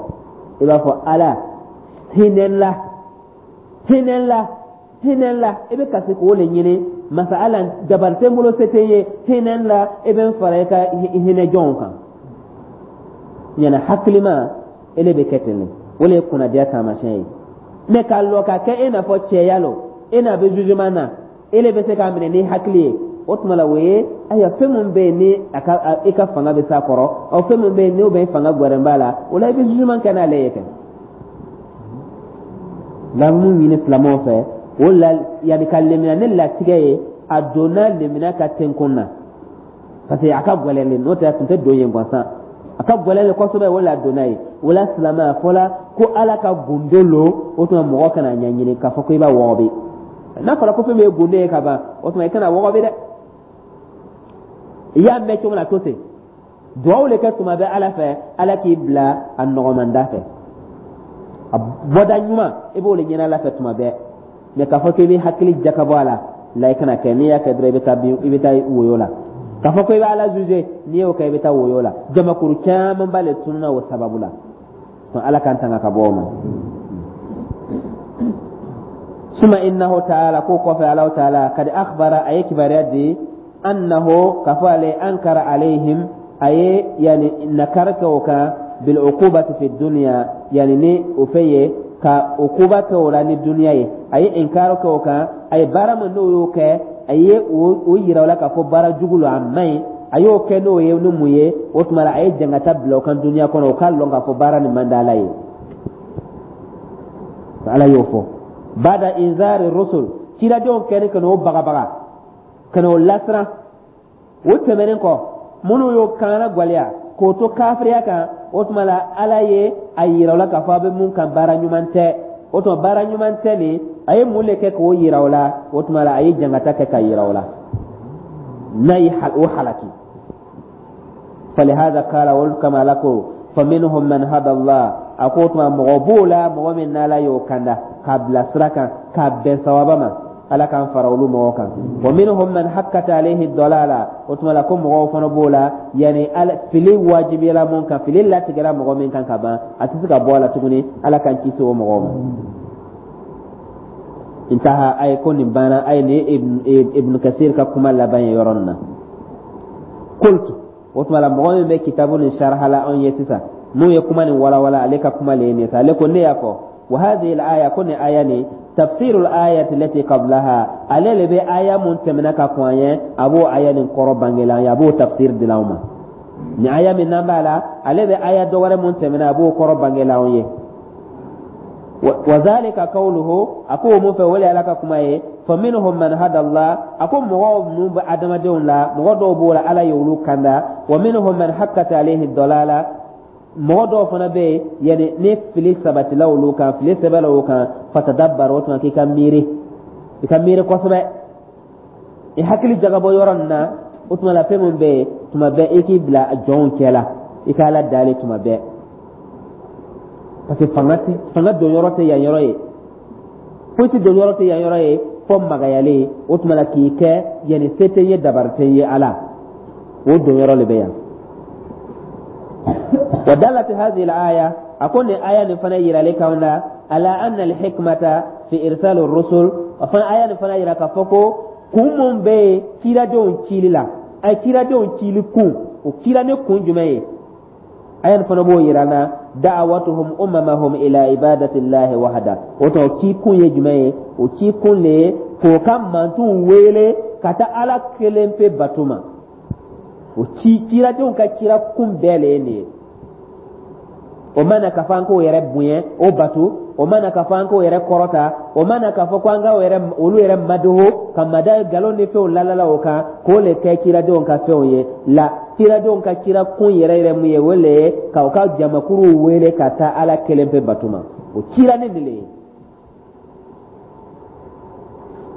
I b'a fɔ Ala hinɛ n la, hinɛ n la, hinɛ n la. I bɛ kasi k'o le ɲini masa Ala. Dabali tɛ n bolo, se tɛ n ye, hinɛ n la, i bɛ n fara i ka hinɛ jɔnw kan. Ɲɛna hakilima ele bɛ kɛ ten de, o le ye kunnadiya taamasiyɛn ye. Mɛ k'a lɔ ka kɛ e n'a fɔ cɛya lo, e n'a bɛ jugement na, e le bɛ se k'a minɛ ni hakili ye. O tuma la, o ye ayiwa fɛn min bɛ yen ni a ka i ka fanga bɛ s'a kɔrɔ, ɔ fɛn min bɛ yen n'o bɛ fanga gwɛrɛn b'a la, o la i bɛ jugement kɛ n'ale ye kɛ. Nka mun ɲini silamɛw fɛ o la, yanni ka lemina ni latigɛ ye, a donna lemina ka tenkun na, parce que a ka gɛlɛn le, n'o tɛ a tun tɛ don yen gansan. A ka gɛlɛn le kosɛbɛ, o la a donna yen. O la silamɛ, a fɔla ko Ala ka gundo lo. O tuma mɔgɔ kana ɲɛɲini k'a fɔ ko i b'a wɔgɔbɛ. N'a fɔra ko fɛn min ye gundo ye ka ban, o tuma i kana wɔgɔbɛ dɛ. I y'a mɛn cogo min na, to ten, duwawu le kɛ tuma bɛɛ Ala fɛ, Ala k'i bila a nɔgɔmanda fɛ, a bɔda ɲuman, i b'o le ɲini Ala fɛ tuma bɛɛ. Mɛ k'a fɔ k'i bɛ hakili jakabɔ a la la, i kana kɛ. N'i y'a kɛ dɔrɔn, i bɛ taa bin, i bɛ taa woyo la. K'a fɔ ko i bɛ Ala juger, n'i y'o kɛ, i bɛ taa woyo la. Jamakuru camanba le tununa o sababu la. Ala k'an tanga ka bɔ o ma. Suma innahu taala, ko kɔfɛ Alahu taala kadi akhbara, a ye kibaruya di, annahu, k'a fɔ ale, ankara alayhim, a ye yani nakari kɛ o kan, bil uqubati fi dunya, yani ni o fɛn ye ka ukuba kɛ o la ni duniya ye. A ye inkaro kɛ o kan, a ye baara min n'o y'o kɛ, a ye o yira o la k'a fɔ baara jugu lo, a man ɲi. A y'o kɛ n'o ye ni mun ye? O tuma la, a ye jangata bila o kan duniya kɔnɔ, o k'a lɔn k'a fɔ baara nin man di Ala ye. Ala y'o fɔ bada inzari rusul, ciladenw kɛni ka n'o bagabaga, ka n'o lasiran. O tɛmɛnen kɔ, minnu y'o kanna gwɛlɛya k'o to kafiriya kan, o tuma la Ala ye a yira o la k'a fɔ a bɛ mun kan, baara ɲuman tɛ. O tuma baara ɲuman tɛ nin, a ye mun de kɛ k'o yira o la? O tuma la, a ye jangata kɛ k'a yira o la n'a ye o halaki. Falihada kala, olu kama Ala ko faminhum man hada Allah, a ko o tuma mɔgɔ b'o la, mɔgɔ min n'Ala y'o kanda k'a bila sira kan, k'a bɛn sawaba ma, Ala k'an fara olu mɔgɔw kan. Wa minhum man hakkat alayhi dalala, o tuma la ko mɔgɔw fana b'o la, yani fili wajibiyala mun kan, fili latigɛra mɔgɔ min kan ka ban, a tɛ se ka bɔ a la tuguni. Ala k'an kisi o mɔgɔw ma. Intaha, a ye ko nin banna. A ye nin Ibn Kasir ka kuma laban ye yɔrɔ nin na. Qultu, o tuma la mɔgɔ min bɛ kitabu nin sharha la anw ye sisan, n'o ye kuma nin walawala, ale ka kuma le ye nin ye sa. Ale ko ne y'a fɔ wa hadhihi al-aya, ko nin aya nin, tafsirul ayati lati qablaha, ale le bɛ aya mun tɛmɛna ka kɔn an ye, a b'o aya nin kɔrɔ bangela an ye, a b'o tafsir dila anw ma. Nin aya min n'an b'a la, ale bɛ aya dɔ wɛrɛ mun tɛmɛna, a b'o kɔrɔ bangela anw ye. Wa zalika qawluhu, a ko o mun fɛ, o le Ala ka kuma ye. Fa minhum man hada Allah, a ko mɔgɔw ninnu bɛ adamadenw la, mɔgɔ dɔw b'o la, Ala ye olu kanda. Wa minhum man haqqat alayhi dalala, mɔgɔ dɔw fana bɛ yen, yani ni fili sabatila olu kan, fili sɛbɛla o kan. Fatadabbar, o tuma k'i ka miiri, i ka miiri kosɛbɛ, i hakili jagabɔ yɔrɔ nin na. O tuma la, fɛn min bɛ yen, tuma bɛɛ i k'i bila jɔnw cɛ la, i ka Ala dali tuma bɛɛ, parce que fanga ti, fanga don yɔrɔ tɛ yan yɔrɔ ye, fosi don yɔrɔ tɛ yan yɔrɔ ye fɔ magayalen. O tuma la, k'i kɛ yanni se tɛ n ye, dabari tɛ n ye, Ala o don yɔrɔ de bɛ yan. Wa dallat hadhihi al-aya, a ko nin aya nin fana yiralen kan na, ala anna al-hikmata fi irsal ar-rusul, a fana aya nin fana yira k'a fɔ ko kun mun bɛ yen ciradenw cili la, a ye ciradenw cili kun, o cira ni kun jumɛn ye? Aya nin fana b'o yira an na, da'awatuhum umamahum ila ibadatillahi wahda. O tɔ ci kun ye jumɛn ye? O ci kun le ye k'o ka mantonw wele ka taa Ala kelen pe bato ma. O ci, ciradenw ka cira kun bɛɛ le ye nin ye. O ma na k'a fɔ an k'o yɛrɛ bonya, o bato. O ma na k'a fɔ an k'o yɛrɛ kɔrɔta. O ma na k'a fɔ ko an k'o yɛrɛ, olu yɛrɛ madoho ka mada galon ni fɛnw lalala o kan, k'o le kɛ ciradenw ka fɛnw ye la. Ciradenw ka cira kun yɛrɛ yɛrɛ mun ye? O le ye k'aw ka jamakuruw wele ka taa Ala kelen pe bato ma. O cira ni nin le ye.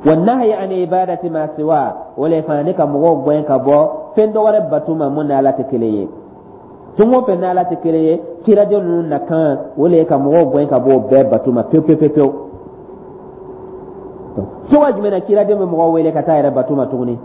Wa nahyi an ibadati ma siwa, o le fana ni ka mɔgɔw gɛn ka bɔ fɛn dɔ wɛrɛ bato ma mun ni Ala tɛ kelen ye. Fɛn o fɛn ni Ala tɛ kelen ye, ciraden ninnu nakan o le ye ka mɔgɔw gɛn ka bɔ o bɛɛ bato ma pewu pewu pewu. Cogoya jumɛn na ciraden bɛ mɔgɔw wele ka taa yɛrɛ bato ma tuguni?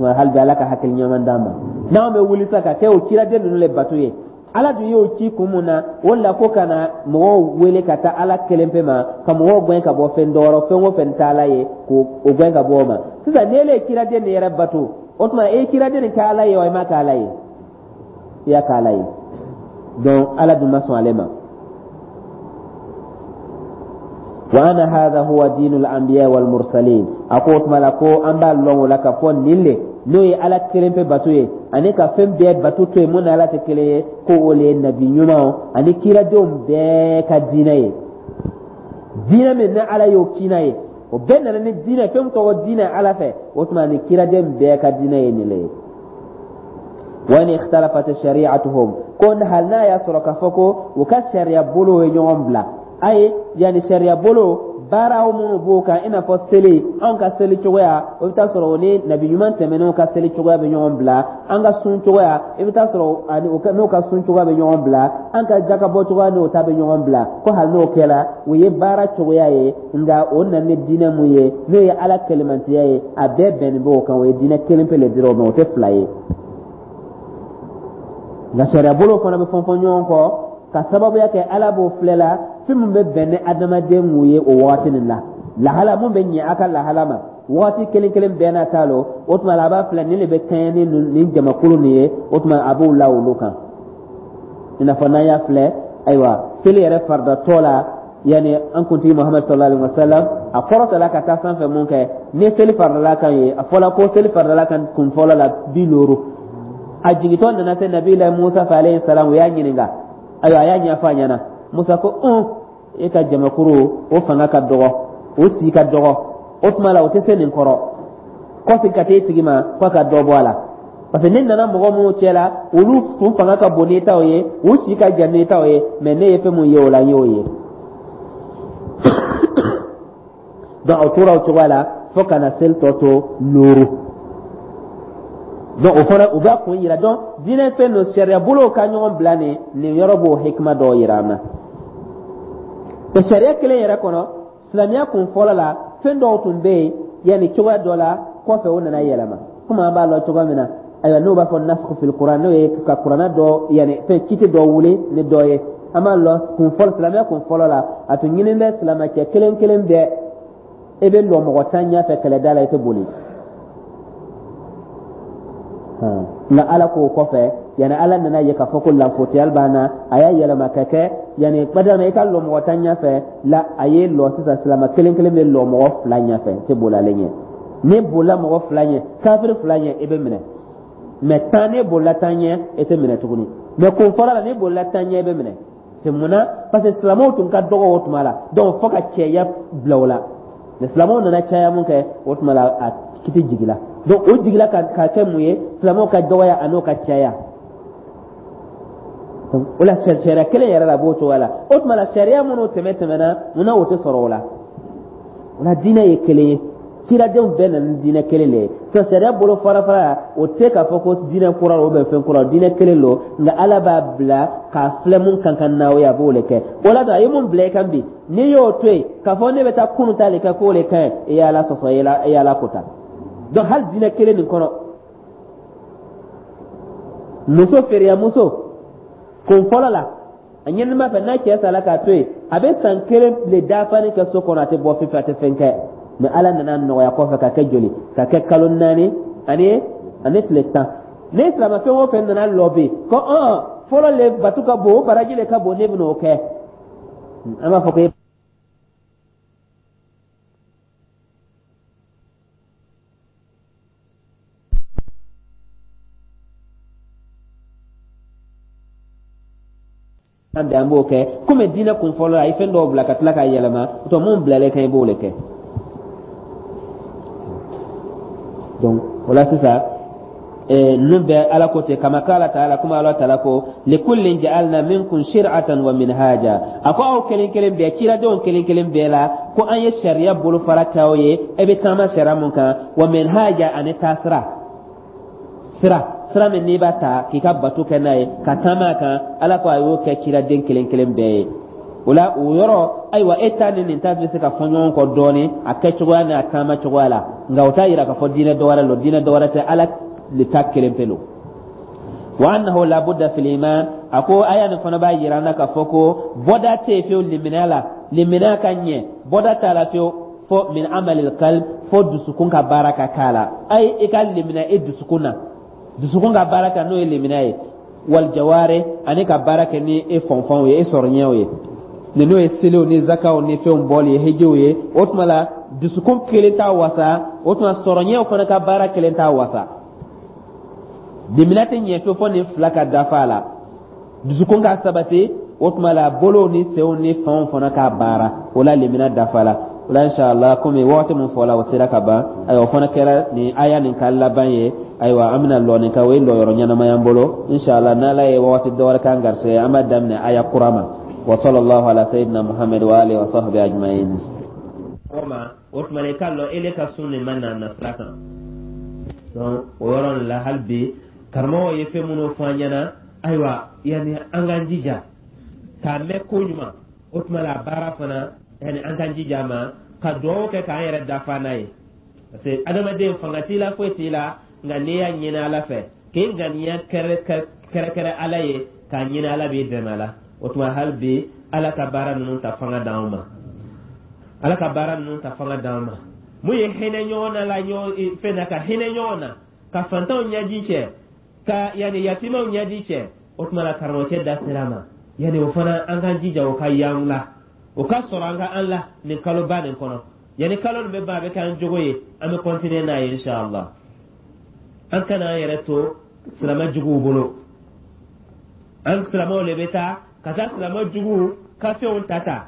Hali bi Ala ka hakili ɲuman d'an ma. N'anw bɛ wuli sa ka kɛ o ciraden ninnu le bato ye, Ala dun y'o ci kun mun na? O la ko ka na mɔgɔw wele ka taa Ala kelen pe ma, ka mɔgɔw gɛn ka bɔ fɛn dɔ rɔ, fɛn o fɛn tɛ Ala ye, k'o gɛn ka bɔ o ma. Sisan n'e le ye ciraden nin yɛrɛ bato, o tuma e ye ciraden nin kɛ Ala ye wa, i m'a kɛ Ala ye? I y'a kɛ Ala ye. Donc Ala dun ma sɔn ale ma. Wa anna hadha huwa dinul anbiya wal mursalin, a ko o tuma la ko an b'a lɔn o la k'a fɔ nin le n'o ye Ala kelen pe bato ye, ani ka fɛn bɛɛ bato to yen mun ni Ala tɛ kelen ye, ko o le ye nabi ɲumanw ani kiradenw bɛɛ ka diinɛ ye. Diinɛ min ni Ala y'o ci n'a ye, o bɛɛ nana ni diinɛ fɛn min tɔgɔ diinɛ Ala fɛ, o tuma ni kiraden bɛɛ ka diinɛ ye nin le ye. Wa in ikhtalafat shari'atuhum, ko hali n'a y'a sɔrɔ k'a fɔ ko u ka sariya bolo ye ɲɔgɔn bila a ye, yanni sariya bolo baaraw minnu b'o kan, i n'a fɔ seli, anw ka seli cogoya, o bɛ taa sɔrɔ o ni nabi ɲuman tɛmɛnenw ka seli cogoya bɛ ɲɔgɔn bila. An ka sun cogoya, i bɛ taa sɔrɔ ani n'o ka sun cogoya bɛ ɲɔgɔn bila. An ka jakabɔ cogoya n'o ta bɛ ɲɔgɔn bila. Ko hali n'o kɛra, o ye baara cogoya ye, nka o nana ni diinɛ mun ye, n'o ye Ala kelenmantiya ye, a bɛɛ bɛnnen b'o kan. O ye diinɛ kelen pe le dira o ma, o tɛ fila ye. Nka sariya bolo fana bɛ fɔn fɔn ɲɔgɔn kɔ ka sababuya kɛ Ala b'o filɛ la fɛn min bɛ bɛn ni adamaden mun ye o wagati nin la, lahala mun bɛ ɲɛ a ka lahala ma wagati kelen kelen bɛɛ n'a ta lo. O tuma la, a b'a filɛ nin de bɛ kɛɲɛ ni nin jamakulu nin ye, o tuma a b'o la olu kan. I n'a fɔ n'an y'a filɛ, ayiwa, seli yɛrɛ faridatɔ la, yanni an kuntigi Muhamadu sallallahu alaihi wa sallam a kɔrɔtala ka taa sanfɛ mun kɛ, ni seli faridala kan ye, a fɔla ko seli faridala kan kun fɔlɔ la 50. A jigintɔ nana se nabila Musa fɛ alayhi salam, o y'a ɲininka. Ayiwa, a y'a ɲɛfɔ a ɲɛna. Musa ko un, e ka jamakuru o fanga ka dɔgɔ, o si ka dɔgɔ, o tuma la o tɛ se nin kɔrɔ. Kɔsegin ka taa i tigi ma k'a ka dɔ bɔ a la, parce que ne nana mɔgɔ minnu cɛ la, olu tun fanga ka bon n'i taw ye, u si ka jan n'i taw ye, mais ne ye fɛn mun ye o la, n y'o ye. Donc o tora o cogoya la fo ka na seli tɔ to 5. Donc o fana o b'a kun yira. Donc diinɛ fɛn don, sariya bolow ka ɲɔgɔn bila nin yɔrɔ b'o hikima dɔw yira an na. O sariya kelen yɛrɛ kɔnɔ, silamɛya kun fɔlɔ la, fɛn dɔw tun bɛ yen yanni cogoya dɔ la, kɔfɛ o nana yɛlɛma. Komi an b'a lɔn cogoya min na, ayiwa, n'o b'a fɔ nasku fil kuran, n'o ye ka kuranna dɔ yanni fɛn kiti dɔ wuli ni dɔ ye. An b'a lɔn kun fɔlɔ, silamɛya kun fɔlɔ la, a tun ɲinin bɛ silamɛcɛ kelen kelen bɛɛ, e bɛ lɔ mɔgɔ 10 ɲɛfɛ kɛlɛda la, i tɛ boli. Nka ala k'o kɔfɛ, yanni Ala nana ye k'a fɔ ko lanfotiyali b'an na, a y'a yɛlɛma ka kɛ yanni badama i ka lɔ mɔgɔ 10 ɲɛfɛ la, a ye lɔ sisan silamɛ kelen kelen bɛ lɔ mɔgɔ fila ɲɛfɛ, i tɛ boli ale ɲɛ. N'i bolila mɔgɔ 2 ɲɛ, kafiri 2 ɲɛ, i bɛ minɛ. Mais 10, n'i bolila 10 ɲɛ, i tɛ minɛ tuguni. Mais kun fɔlɔ la, n'i bolila 10 ɲɛ, i bɛ minɛ. C'est mun na? Parce que silamɛw tun ka dɔgɔ o tuma la, donc fo ka cɛya bila o la. Mais silamɛw nana caya mun kɛ, o tuma la a kiti jigila. Donc o jigila ka kɛ mun ye? Silamɛw ka dɔgɔya an'o ka caya. Donc o la sariya kelen yɛrɛ la b'o cogoya la. O tuma la sariya minnu tɛmɛna, munna o tɛ sɔrɔ o la? O la diinɛ ye kelen ye, ciradenw bɛɛ nana ni diinɛ kelen de ye. Donc sariya bolo fara fara, o tɛ k'a fɔ ko diinɛ kura ou bien fɛn kura, diinɛ kelen don. Nka Ala b'a bila k'a filɛ mun kan ka n'aw ye, a b'o de kɛ. O la a ye mun bila i kan bi, n'i y'o to yen k'a fɔ ne bɛ taa kunun ta de kɛ k'o de ka ɲi, i y'Ala sɔsɔ, i y'Ala kota. Donc hali diinɛ kelen nin kɔnɔ, muso feereya muso kun fɔlɔ la, a ɲinima fɛ n'a cɛ sala k'a to yen, a bɛ san 1 tile dafani kɛ so kɔnɔ, a tɛ bɔ fiyewu, a tɛ fɛn kɛ. Mais Ala nana nɔgɔya kɔfɛ ka kɛ joli? Ka kɛ kalo 4 ani tile 10. Ni silamɛ fɛn o fɛn nana lɔ bi ko fɔlɔ le batu ka bon, o baraji le ka bon, ne bɛn'o kɛ, an b'a fɔ ko an bɛ an b'o kɛ komi diinɛ kun fɔlɔ a ye fɛn dɔw bila ka tila k'a yɛlɛma, o mun bilalen kan i b'o de kɛ. Donc o la sisan ninnu bɛɛ Ala ko ten, kama kala taala, kuma Ala taala ko likullin ja'alna minkum shir'atan wa minhaja. A ko aw kelen kelen bɛɛ, ciradenw kelen kelen bɛɛ la, ko an ye sariya bolofara k'aw ye, e bɛ taama sariya mun kan, wa minhaja ani taasira, sira min n'i b'a ta k'i ka bato kɛ n'a ye ka taama a kan, Ala ko a y'o kɛ ciraden kelen kelen bɛɛ ye. O la o yɔrɔ, ayiwa, e ta ni nin ta bɛ se ka fɔ ɲɔgɔn kɔ dɔɔnin a kɛcogoya n'a taama cogoya la, nka o t'a yira k'a fɔ diinɛ dɔwɛrɛ don, diinɛ dɔwɛrɛ tɛ, Ala le ta kelen pe don. Wa annahu labudda fil iman, a ko aya nin fana b'a yira an na k'a fɔ ko bɔda tɛ yen fiyewu limaniya la, limaniya ka ɲɛ bɔda t'a la fiyewu fo min amalil qalb, fo dusukun ka baara ka k'a la. Ayi, i ka limaniya i dusukun na, dusukun ka baara kɛ n'o ye limaniya ye, wal jawari ani ka baara kɛ ni e fɔnfɔnw ye, e sɔrɔɲɛw ye, ni n'o ye seliw ni zakaw ni fɛnw bɔli ye, hijiw ye. O tuma la dusukun kelen t'a wasa, o tuma sɔrɔɲɛw fana ka baara kelen t'a wasa. Limaniya tɛ ɲɛ fiyewu fo nin fila ka dafa a la, dusukun ka sabati, o tuma la bolow ni senw ni fanw fana k'a baara, o la limaniya dafa la. O la inshallah, komi waati mun fɔla o sera ka ban, ayiwa, o fana kɛra nin aya nin ka laban ye. Ayiwa, an bɛna lɔ nin kan, o ye lɔyɔrɔ ɲɛnamaya an bolo inshallah. N'Ala ye waati dɔ wɛrɛ k'an garisɛgɛ, an b'a daminɛ aya kura ma. Wa sallallahu ala sayyidina Muhammad wa alihi wa sahbihi ajma'in. O tuma i k'a lɔn ele ka sun nin ma na nasira kan. Donc o yɔrɔ nin la, hali bi karamɔgɔw ye fɛn minnu fɔ an ɲɛna, ayiwa, yanni an k'an jija k'a mɛn ko ɲuman, o tuma la baara fana, yanni an k'an jija ma ka dugawu kɛ k'an yɛrɛ dafa n'a ye, parce que adamaden fanga t'i la, foyi t'i la, nka n'i y'a ɲini Ala fɛ k'i ŋaniya kɛrɛkɛrɛ Ala ye k'a ɲini, Ala b'i dɛmɛ a la. O tuma hali bi Ala ka baara ninnu ta fanga d'anw ma, Ala ka baara ninnu ta fanga d'anw ma. Mun ye hinɛ ɲɔgɔn na la, ɲɔgɔn fɛn na, ka hinɛ ɲɔgɔn na, ka fantanw ɲɛji cɛ, ka yanni yatimaw ɲɛji cɛ, o tuma la karamɔgɔcɛ da sera a ma, yanni o fana an k'an jija o ka y'an la, o ka sɔrɔ an ka an la nin kaloba nin kɔnɔ. Yanni kalo nin bɛ ban, a bɛ k'an jogo ye, an bɛ continuer n'a ye inshallah. An kana an yɛrɛ to silamɛ juguw bolo, an silamɛw de bɛ taa ka taa silamɛ juguw ka fɛnw ta ta,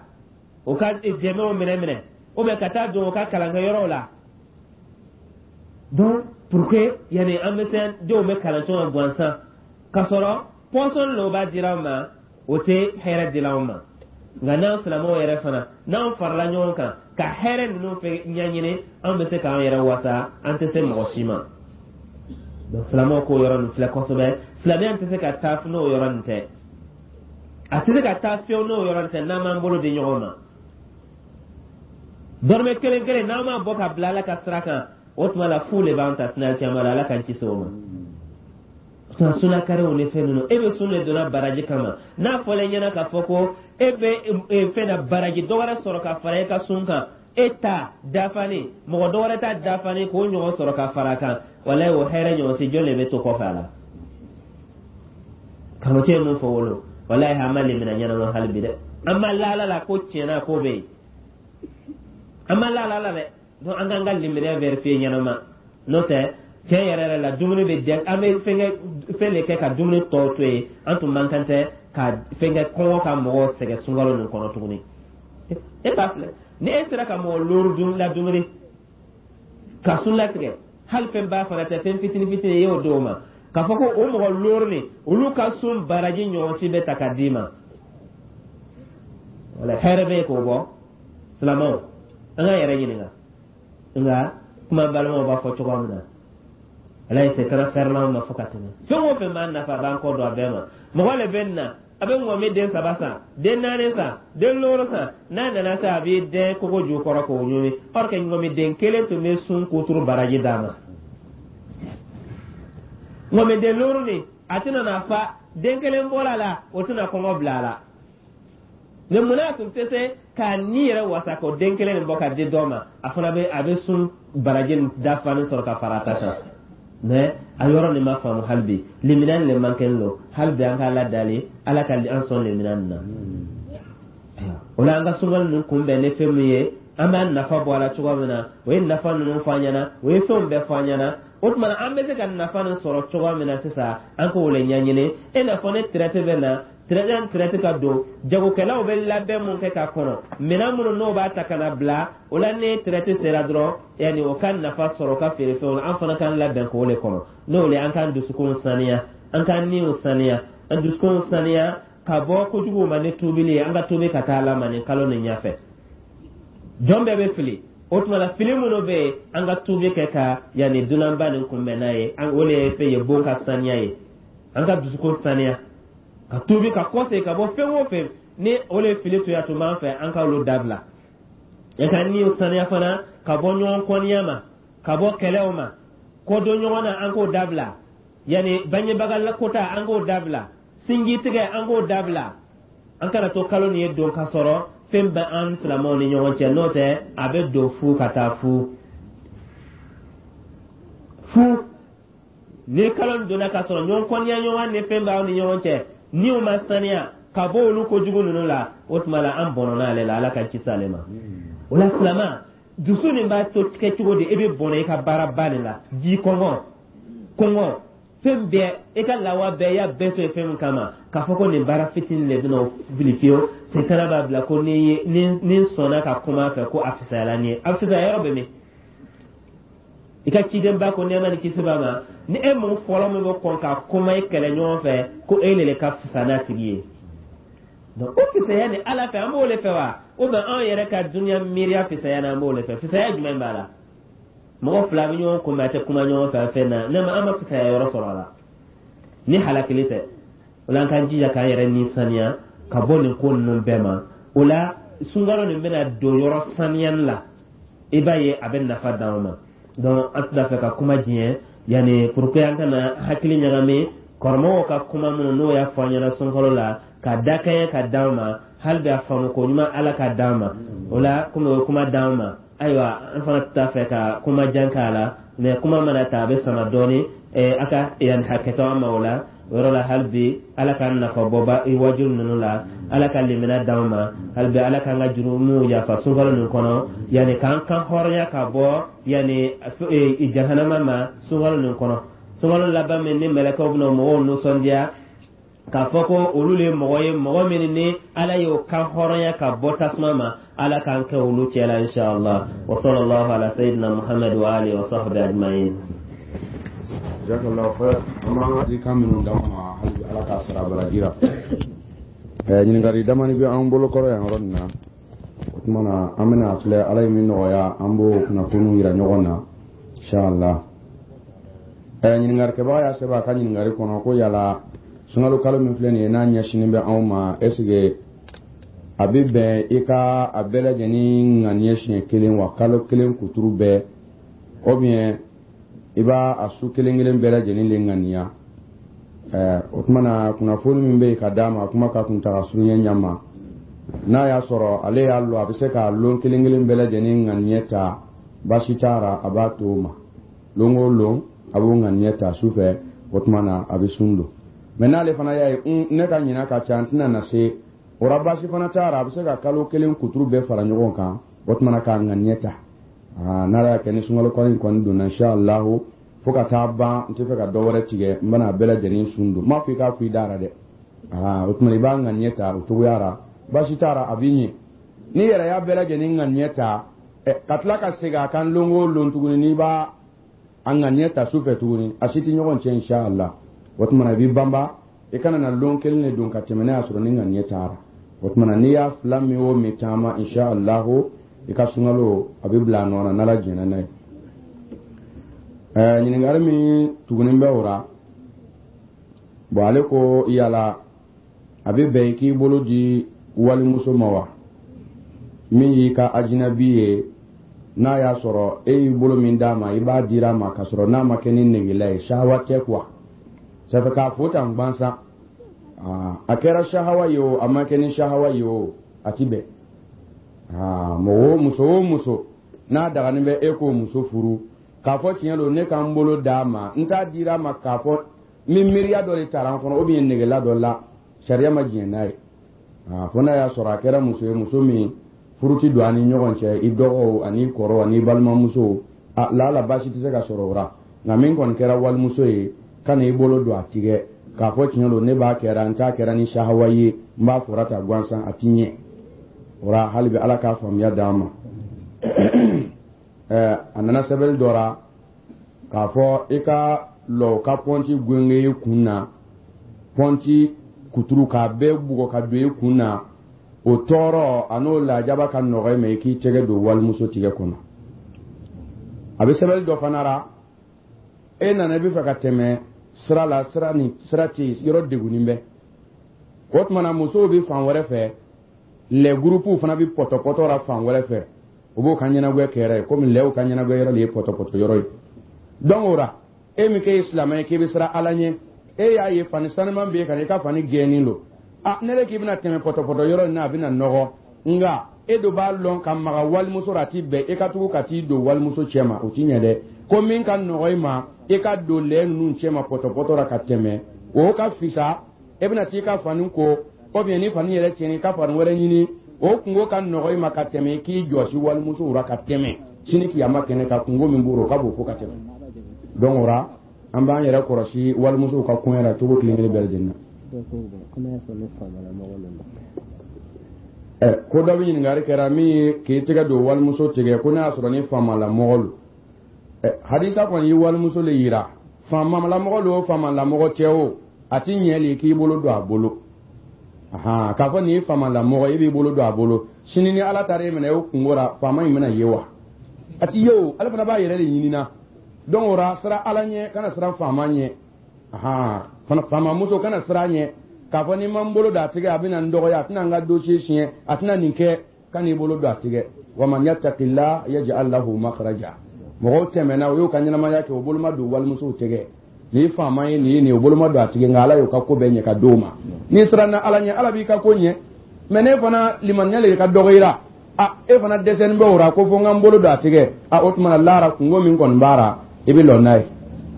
o ka dɛmɛw minɛ minɛ, ou bien ka taa don o ka kalankɛyɔrɔw la. Donc pour que yanni an bɛ se denw bɛ kalan cogo min gansan, k'a sɔrɔ pɔsɔn lo b'a dira an ma, o tɛ hɛrɛ dila anw ma. Nka n'an silamɛw yɛrɛ fana n'an farala ɲɔgɔn kan ka hɛrɛ ninnu fɛ ɲɛɲini, an bɛ se k'an yɛrɛ wasa, an tɛ se mɔgɔ si ma. Donc silamɛw k'o yɔrɔ nin filɛ kosɛbɛ. Silamɛya tɛ se ka taa n'o yɔrɔ nin tɛ, a tɛ se ka taa fiyewu n'o yɔrɔ nin tɛ, n'an m'an bolo di ɲɔgɔn ma. Dɔrɔmɛ kelen kelen n'an m'a bɔ ka bila Ala ka sira kan, o tuma la fu de b'an ta sina caman la. Ala k'an kisi o ma. Sunakariw ni fɛn ninnu, e bɛ sun de donna baraji kama, n'a fɔra e ɲɛna k'a fɔ ko e bɛ fɛn na baraji dɔ wɛrɛ sɔrɔ ka fara e ka sun kan, e ta dafalen, mɔgɔ dɔ wɛrɛ ta dafalen k'o ɲɔgɔn sɔrɔ ka fara a kan, walayi o hɛrɛ ɲɔgɔn si jɔn de bɛ to kɔfɛ a la? Karamɔgɔcɛ ye mun fɔ wolo, walayi an ma lemina ɲɛnama hali bi dɛ, an ma laala la ko tiɲɛna ko bɛ yen, an ma laala la dɛ. Donc an k'an ka limaniya vérifier ɲɛnama, n'o tɛ tiɲɛ yɛrɛ yɛrɛ la dumuni bɛ dɛ, an bɛ fɛnkɛ fɛn de kɛ ka dumuni tɔ to yen, an tun man kan tɛ Ka fɛn kɛ kɔngɔ ka mɔgɔw sɛgɛn sunkalo nin kɔnɔ tuguni. E b'a filɛ, ni e sera ka mɔgɔ looru dun ladumuni ka sun latigɛ, hali fɛn ba fana tɛ, fɛn fitini fitini, i y'o d'o ma, k'a fɔ ko o mɔgɔ looru nin, olu ka sun baraji ɲɔgɔn si bɛ ta ka d'i ma, wala hɛrɛ bɛ yen k'o bɔ. Silamɛw, an k'an yɛrɛ ɲininka. Nka kuma balimaw b'a fɔ cogoya min na, ala ye setana fɛrɛlaw ma fo ka tɛmɛ. Fɛn o fɛn b'an nafa, a b'an kɔ don a bɛɛ ma. Mɔgɔ le bɛ na, a bɛ ŋɔmi den saba san, den naani san, den looru san. N'a nana se, a b'i dɛn kogo jukɔrɔ k'o ɲimi, or que ŋɔmi den kelen tun bɛ sun kuturu baraji d'a ma. Ŋɔmi den looru nin, a tɛna na fa den kelen bɔra a la, o tɛna kɔngɔ bila a la. Mɛ munna a tun tɛ se k'a ni yɛrɛ wasa k'o den kelen nin bɔ ka di dɔ ma? A fana bɛ, a bɛ sun baraji nin dafalen sɔrɔ ka fara a ta kan. Mɛ a yɔrɔ nin ma faamu hali bi, limina nin le man kɛnɛ don hali bi. An ka Ala dali, Ala ka an sɔn limina nin na. O la, an ka sunkalo ninnu kunbɛn ni fɛn min ye, an b'an nafa bɔ a la cogoya min na, o ye nafa ninnu fɔ an ɲɛna, o ye fɛnw bɛɛ fɔ an ɲɛna. O tuma na, an bɛ se ka nafa nin sɔrɔ cogoya min na sisan, an k'o le ɲɛɲini. E n'a fɔ ne traite bɛ na, traite ka don, jagokɛlaw bɛ labɛn mun kɛ ka kɔnɔ, minɛn minnu n'o b'a ta ka na bila o la, ni traite sera dɔrɔn, yanni o ka nafa sɔrɔ o ka feerefɛnw na, an fana k'an labɛn k'o le kɔnɔ. N'o le, an k'an dusukunw saniya, an k'an niw saniya, an dusukunw saniya ka bɔ kojuguw ma ni tuubili ye. An ka tuubi ka taa Ala ma nin kalo nin ɲɛfɛ. Jɔn bɛɛ bɛ fili. O tuma la, fili minnu bɛ yen, an ka tuubi kɛ ka yanni dunanba nin kunbɛn n'a ye. O le ye fɛn ye, bon ka saniya ye, an ka dusukun saniya ka tuubi ka kɔsegin ka bɔ fɛn o fɛn ni o le fili toya tun b'an fɛ, an ka olu dabila. An ka niw saniya fana ka bɔ ɲɔgɔn kɔniya ma, ka bɔ kɛlɛw ma, kɔdon ɲɔgɔn na, an k'o dabila. Yanni bangebaga kota, an k'o dabila. Sinji tigɛ, an k'o dabila. An kana to kalo nin ye don ka sɔrɔ fɛn bɛ an silamɛw ni ɲɔgɔn cɛ, n'o tɛ a bɛ don fu ka taa fu fu. Ni kalo nin donna ka sɔrɔ ɲɔgɔn kɔniya ɲɔgɔn ni fɛn b'aw ni ɲɔgɔn cɛ, ni o ma saniya ka bɔ olu kojugu ninnu la, o tuma la an bɔnɔna ale la. Ala ka kisi ale ma. O la, silama dusu nin b'a to kɛ cogo di? E bɛ bɔnɛ i ka baaraba nin la, ji kɔngɔ, kɔngɔ, fɛn bɛɛ, i ka lawa bɛɛ, i y'a bɛɛ to yen fɛn min kama, k'a fɔ ko nin baara fitinin de bɛna o fili fiyewu. Setana b'a bila ko ni ye ni n sɔnna ka kuma a fɛ ko a fisayala nin ye. A fisaya yɔrɔ bɛ min? I ka cidenba ko, nɛɛma ni kisi b'a ma, ni e mun fɔlɔ min bɛ kɔn ka kuma i kɛlɛ ɲɔgɔn fɛ, ko e le ka fisa n'a tigi ye. Donc o fisaya ni Ala fɛ, an b'o le fɛ wa? Ou bien anw yɛrɛ ka dunuya miiriya fisaya na, an b'o le fɛ? Fisaya jumɛn b'a la? Mɔgɔ fila bɛ ɲɔgɔn kunbɛn, a tɛ kuma ɲɔgɔn fɛ fɛn na, ne ma an ma fisaya yɔrɔ sɔrɔ a la ni halakili tɛ. O la, an k'an jija k'an yɛrɛ ni saniya ka bɔ nin ko ninnu bɛɛ ma. O la, sunkalo nin bɛna don yɔrɔ saniyali la, i b'a ye a bɛ nafa d'anw ma. Donc an tɛna fɛ ka kuma diɲɛ yanni pour que an kana hakili ɲagami kɔrɔmɔgɔw ka kuma minnu n'o y'a fɔ an ɲɛna sunkalo la, ka dakɛɲɛ ka d'an ma. Hali bi a faamu ko ɲuman, Ala ka d'an ma. O la, komi o ye kuma d'an ma, ayiwa, an fana t'a fɛ ka kuma jan k'a la, mɛ kuma mana ta, a bɛ sama dɔɔni. A ka yan hakɛtɔ an ma. O la, o yɔrɔ la, hali bi Ala k'an nafa bɔ ba wajulu ninnu la, Ala ka limina d'an ma. Hali bi Ala k'an ka jurumuw yafa sunkalo nin kɔnɔ, yanni k'an kan hɔrɔnya ka bɔ yanni jahanama ma sunkalo nin kɔnɔ, sunkalo laban min ni mɛlɛkɛw bɛna mɔgɔw nisɔndiya k'a fɔ ko olu le mɔgɔ ye, mɔgɔ min ni Ala y'o kan hɔrɔnya ka bɔ tasuma ma. Ala k'an kɛ olu cɛ la, inshallah. Wa sallallahu ala sayyidina Muhammad wa alihi wa sahbihi ajma'in. Jazakallahu khair. An b'an ka kan minnu d'anw ma, hali bi Ala k'a sara baraji la. Ɲininkali damani bɛ an bolo kɔrɔ yan yɔrɔ nin na. O tuma na, an bɛna filɛ, Ala ye min nɔgɔya, an b'o kunnafoniw yira ɲɔgɔn na, inshallah. Ɲininkalikɛbaga y'a sɛbɛn a ka ɲininkali kɔnɔ ko yala sunkalo kalo min filɛ nin ye, n'a ɲɛsinnen bɛ anw ma, est ce que a bɛ bɛn i ka a bɛɛ lajɛlen ŋaniye siɲɛ kelen wa, kalo kelen kuturu bɛɛ, ou bien i b'a a su kelen kelen bɛɛ lajɛlen le ŋaniya? O tuma na, kunnafoni min bɛ yen ka d'a ma, kuma ka kuntaga surunya ɲɛ ma, n'a y'a sɔrɔ ale y'a lɔn a bɛ se k'a lon kelen kelen bɛɛ lajɛlen ŋaniye ta, baasi t'a ra, a b'a to o ma. Lon o lon, a b'o ŋaniye ta su fɛ, o tuma na a bɛ sun don. Mɛ n'ale fana y'a ye ne ka ɲina ka ca, n tɛna na se o ra, baasi fana t'a ra, a bɛ se ka kalo kelen kuturu bɛɛ fara ɲɔgɔn kan, o tuma na k'a ŋaniye ta. N'Ala y'a kɛ ni sunkalo kɔni in kɔni donna, inshallahu, fo ka taa ban, n tɛ fɛ ka dɔ wɛrɛ tigɛ, n bɛna a bɛɛ lajɛlen sun don. N m'a fɔ i k'a fɔ i da ra dɛ. Aa, o tuma i b'a ŋaniya ta o cogoya la, baasi t'a la, a b'i ɲɛ. N'i yɛrɛ y'a bɛɛ lajɛlen ŋaniya ta ka tila ka segin a kan lon o lon tuguni, n'i b'a a ŋaniya ta su fɛ tuguni, a si tɛ ɲɔgɔn cɛ, inshallah. O tuma i b'i banba, i kana na lon kelen de don ka tɛmɛ n'a y'a sɔrɔ ni ŋaniya taara. O tuma na, n'i y'a fila min o min taama, inshallah, i ka sunkalo a bɛ bila a nɔ na, n'Ala jɛnna n'a ye. Ɲininkali min tugunin bɛ o la, bon, ale ko yala a bɛ bɛn i k'i bolo di walimuso ma wa, min y'i ka ajinabi ye, n'a y'a sɔrɔ e y'i bolo min d'a ma, i b'a dira a ma k'a sɔrɔ n'a ma kɛ ni negela ye, sahawa tɛ quoi, ça fait k'a fo tan gbansan. A kɛra sahawa ye o, a ma kɛ ni sahawa ye o, a ti bɛn. Mɔgɔ o muso o muso n'a daganin bɛ e k'o muso furu, k'a fɔ tiɲɛ don, ne ka n bolo d'a ma, n t'a dira a ma k'a fɔ min miiriya dɔ de taara n kɔnɔ ou bien negela dɔ la, sariya ma diɲɛ n'a ye. Fo n'a y'a sɔrɔ a kɛra muso ye, muso min furu ti don an ni ɲɔgɔn cɛ, i dɔgɔw ani kɔrɔw ani balimamusow, a laala baasi tɛ se ka sɔrɔ o la. Nka min kɔni kɛra walimuso ye, ka na i bolo don a tigɛ k'a fɔ tiɲɛ don, ne b'a kɛra, n t'a kɛra ni sahawa ye, n b'a fɔra ta gansan, a ti ɲɛ o la. Hali bi Ala k'a faamuya d'an ma. A nana sɛbɛnni dɔ la k'a fɔ i ka lɔ ka pɔnti genge i kun na, pɔnti kuturu k'a bɛɛ bugɔ ka don i kun na, o tɔɔrɔ a n'o lajaba ka nɔgɔ i ma i k'i tɛgɛ don walimuso tigɛ kɔnɔ. A bɛ sɛbɛnni dɔ fana la, e nana i bɛ fɛ ka tɛmɛ sira la, sira ni sira tɛ yen, yɔrɔ degunnen bɛ. O tuma na, musow bɛ fan wɛrɛ fɛ, lɛ gurupuw fana bɛ pɔtɔpɔtɔ la fan wɛrɛ fɛ, u b'o ka ɲɛnagwɛ kɛra ye, komi lɛw ka ɲɛnagwɛ yɔrɔ de ye pɔtɔpɔtɔ yɔrɔ ye. Donc o la, e min k'e ye silamɛ ye, k'e bɛ siran Ala ɲɛ, e y'a ye fani sanuman bɛ yen ka na, i ka fani gɛnnen don. A ne de k'i bɛna tɛmɛ pɔtɔpɔtɔ yɔrɔ in na, a bɛna nɔgɔ, nka e do b'a lɔn ka maga walimuso la, a ti bɛn e ka tugu ka t'i don walimuso cɛ ma, o ti ɲɛ dɛ. Ko min ka nɔgɔ i ma, i ka don lɛ ninnu cɛ ma pɔtɔpɔtɔ la ka tɛmɛ, o ka fisa. E bɛna t'i ka fani ko ou bien ni fani yɛrɛ tiɲɛna, i ka fani wɛrɛ ɲini, o kungo ka nɔgɔ i ma ka tɛmɛ i k'i jɔsi walimusow la ka tɛmɛ. Sini kiyama kɛnɛ ka kungo min b'o rɔ, o ka bon fo ka tɛmɛ. Donc o la, an b'an yɛrɛ kɔlɔsi walimusow ka koɲɛ la cogo kelen kelen bɛɛ lajɛlen na. Ko dɔ bɛ ɲininkali kɛra min ye k'i tɛgɛ don walimuso tigɛ, ko n'a y'a sɔrɔ ni faamalamɔgɔ don. Hadisa kɔni ye walimuso le yira, faamalamɔgɔ don o, faamalamɔgɔ tɛ o, a ti ɲɛ le k'i bolo don a bolo. K'a fɔ nin ye faamalamɔgɔ, e b'i bolo don a bolo, sini ni Ala taara e minɛ o kungo la, faama in bɛna ye wa? A ti ye o, ale fana b'a yɛrɛ de ɲinina. Donc o la, siran Ala ɲɛ, kana siran faama ɲɛ. Faamamuso kana siran ɲɛ k'a fɔ n'i ma n bolo don a tigɛ, a bɛna n dɔgɔya, a tɛna n ka dossier siɲɛ, a tɛna nin kɛ. Kan'i bolo don a tigɛ. Wa man yattaqillah yaj'al lahu makhraja. Mɔgɔw tɛmɛna, o y'u ka ɲɛnamaya kɛ, o bolo ma don walimusow tigɛ. Ni faama ye nin ye nin, o bolo ma don a tigɛ, nka Ala y'o ka ko bɛɛ ɲɛ ka d'o ma. N'i siranna Ala ɲɛ, Ala b'i ka ko ɲɛ. Mais ne fana limaniya le ka dɔgɔ i la, a e fana dɛsɛnin bɛ o la ko fo n ka n bolo don a tigɛ. A o tuma na, lara kungo min kɔni b'a la, i bɛ lɔ n'a ye.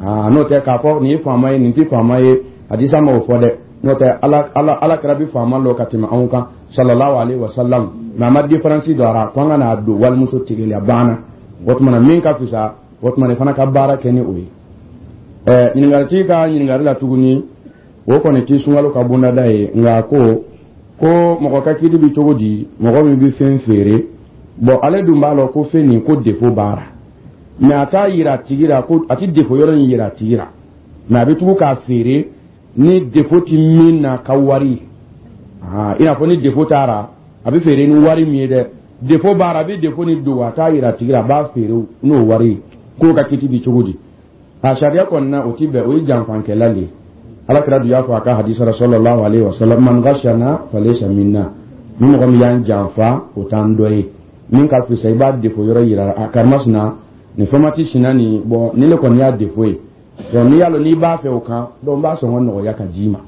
Aa, n'o tɛ k'a fɔ nin ye faama ye, nin tɛ faama ye, hadisa ma o fɔ dɛ. N'o tɛ, Ala kɛra bi faama lɔ ka tɛmɛ anw kan, sallallahu alaihi wa sallam, mais a ma différence don a la ko an ka n'a don walimuso tigɛ la, a banna. O tuma na, min ka fisa, o tuma na, i fana ka baara kɛ ni o ye. Ɲininkalitigi ka ɲininkali la tuguni, o kɔni ti sunkalo ka bondada ye, nka ko mɔgɔ ka kiti bi cogo di, mɔgɔ min bɛ fɛn feere, bon, ale dun b'a lɔn ko fɛn nin ko défaut b'a la, mais a t'a yira a tigi la ko a ti défaut yɔrɔ in yira a tigi la, mais a bɛ tugu k'a feere ni défaut ti min na ka wari ye. I n'a fɔ ni défaut taara, a bɛ feere ni wari min ye dɛ, défaut b'a la, a bɛ défaut ni dogo, a t'a yira a tigi la, a b'a feere n'o wari ye. K'o ka kiti bi cogo di? A sariya kɔni na, o ti bɛn, o ye janfankɛla le ye. Ala kira dun y'a fɔ a ka hadisa la, sallallahu alaihi wa sallam, man ghashana falaysa minna. Ni mɔgɔ min y'an janfa, o t'an dɔ ye. Min ka fisa, i b'a défaut yɔrɔ yira a karimasina nin fɛnmati sina nin, bon, ni ne kɔni y'a défaut ye, donc n'i y'a lɔn n'i b'a fɛ o kan, donc n b'a sɔngɔ nɔgɔya ka d'i ma.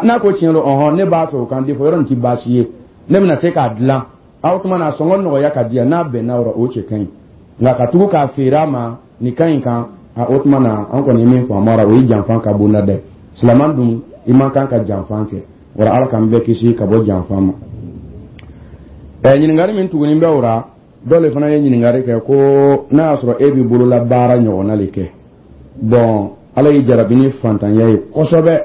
N'a ko tiɲɛ don, ɔhɔn, ne b'a fɛ o kan, défaut yɔrɔ nin ti baasi ye, ne bɛna se k'a dilan, a o tuma na a sɔngɔ nɔgɔya ka di yan, n'a bɛnna o rɔ, o cɛ ka ɲi. Nka ka tugu k'a feere a ma nin kan in kan, a o tuma na, an kɔni ye min faamu a la, o ye janfan ka bonda dɛ. Silaman dun, i man kan ka janfan kɛ. Wala Ala k'an bɛɛ kisi ka bɔ janfan ma. Ɲininkali min tugunin bɛ o la, dɔ le fana ye ɲininkali kɛ ko n'a y'a sɔrɔ e b'i bolola baara ɲɔgɔnna le kɛ, bon, Ala y'i jarabi ni fantanya ye kosɛbɛ,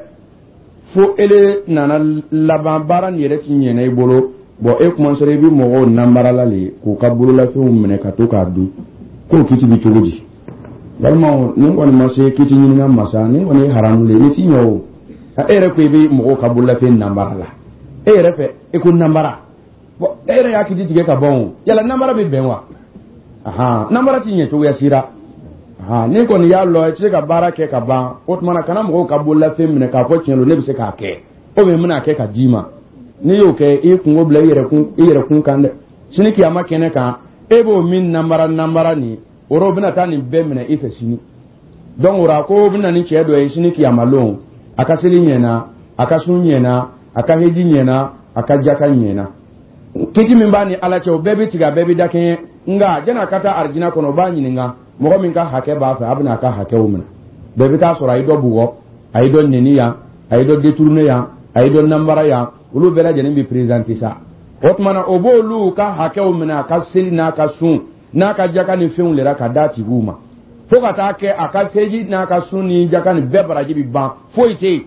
Fo ele nana laban, baara nin yɛrɛ ti ɲɛna i bolo. Bon, e commencera i bɛ mɔgɔw nanbarala le k'u ka bololafɛnw minɛ ka to k'a dun, k'o kiti bɛ cogo di? Balimaw, nin kɔni ma se kiti ɲininka masa, nin kɔni ye haramu le ye, nin ti ɲɛ o. E yɛrɛ ko i bɛ mɔgɔw ka bololafɛn nanbara la, e yɛrɛ fɛ e ko nanbara. Bon, e yɛrɛ y'a kiti tigɛ ka ban o. Yala nanbara bɛ bɛn wa? Ahan, nanbara ti ɲɛ cogoya si la. Ahan, ni kɔni y'a lɔ i tɛ se ka baara kɛ ka ban, o tuma na kana mɔgɔw ka bololafɛn minɛ k'a fɔ tiɲɛ don, ne bɛ se k'a kɛ ou bien n bɛna kɛ ka d'i ma. N'i y'o kɛ, i kungo bila i yɛrɛ kun kan dɛ. Sini kiyama kɛnɛ kan, e b'o min nanbara nanbara nin o rɔ, o bɛna taa nin bɛɛ minɛ i fɛ sini. Donc o la, ko bɛna ni cɛ dɔ ye sini kiyama lon, a ka seli ɲɛna, a ka sun ɲɛna, a ka heji ɲɛna, a ka jaka ɲɛna, kiti min b'a ni Ala cɛ, o bɛɛ bɛ tigɛ, a bɛɛ bɛ dakɛɲɛ. Nka janni a ka taa arijina kɔnɔ, o b'a ɲininka mɔgɔ min ka hakɛ b'a fɛ, a bɛna a ka hakɛw minɛ. Bɛɛ bɛ taa sɔrɔ a ye dɔ bugɔ, a ye dɔ neni yan, a ye dɔ détourné yan, a ye dɔ nanbara yan, olu bɛɛ lajɛlen bɛ présenter sa. O tuma na, o b'olu ka hakɛw minɛ, a ka seli n'a ka sun n'a ka jaka ni fɛnw lera ka d'a tigiw ma, fo ka taa kɛ a ka seji n'a ka sun ni jaka ni bɛɛ baraji bɛ ban, foyi tɛ yen.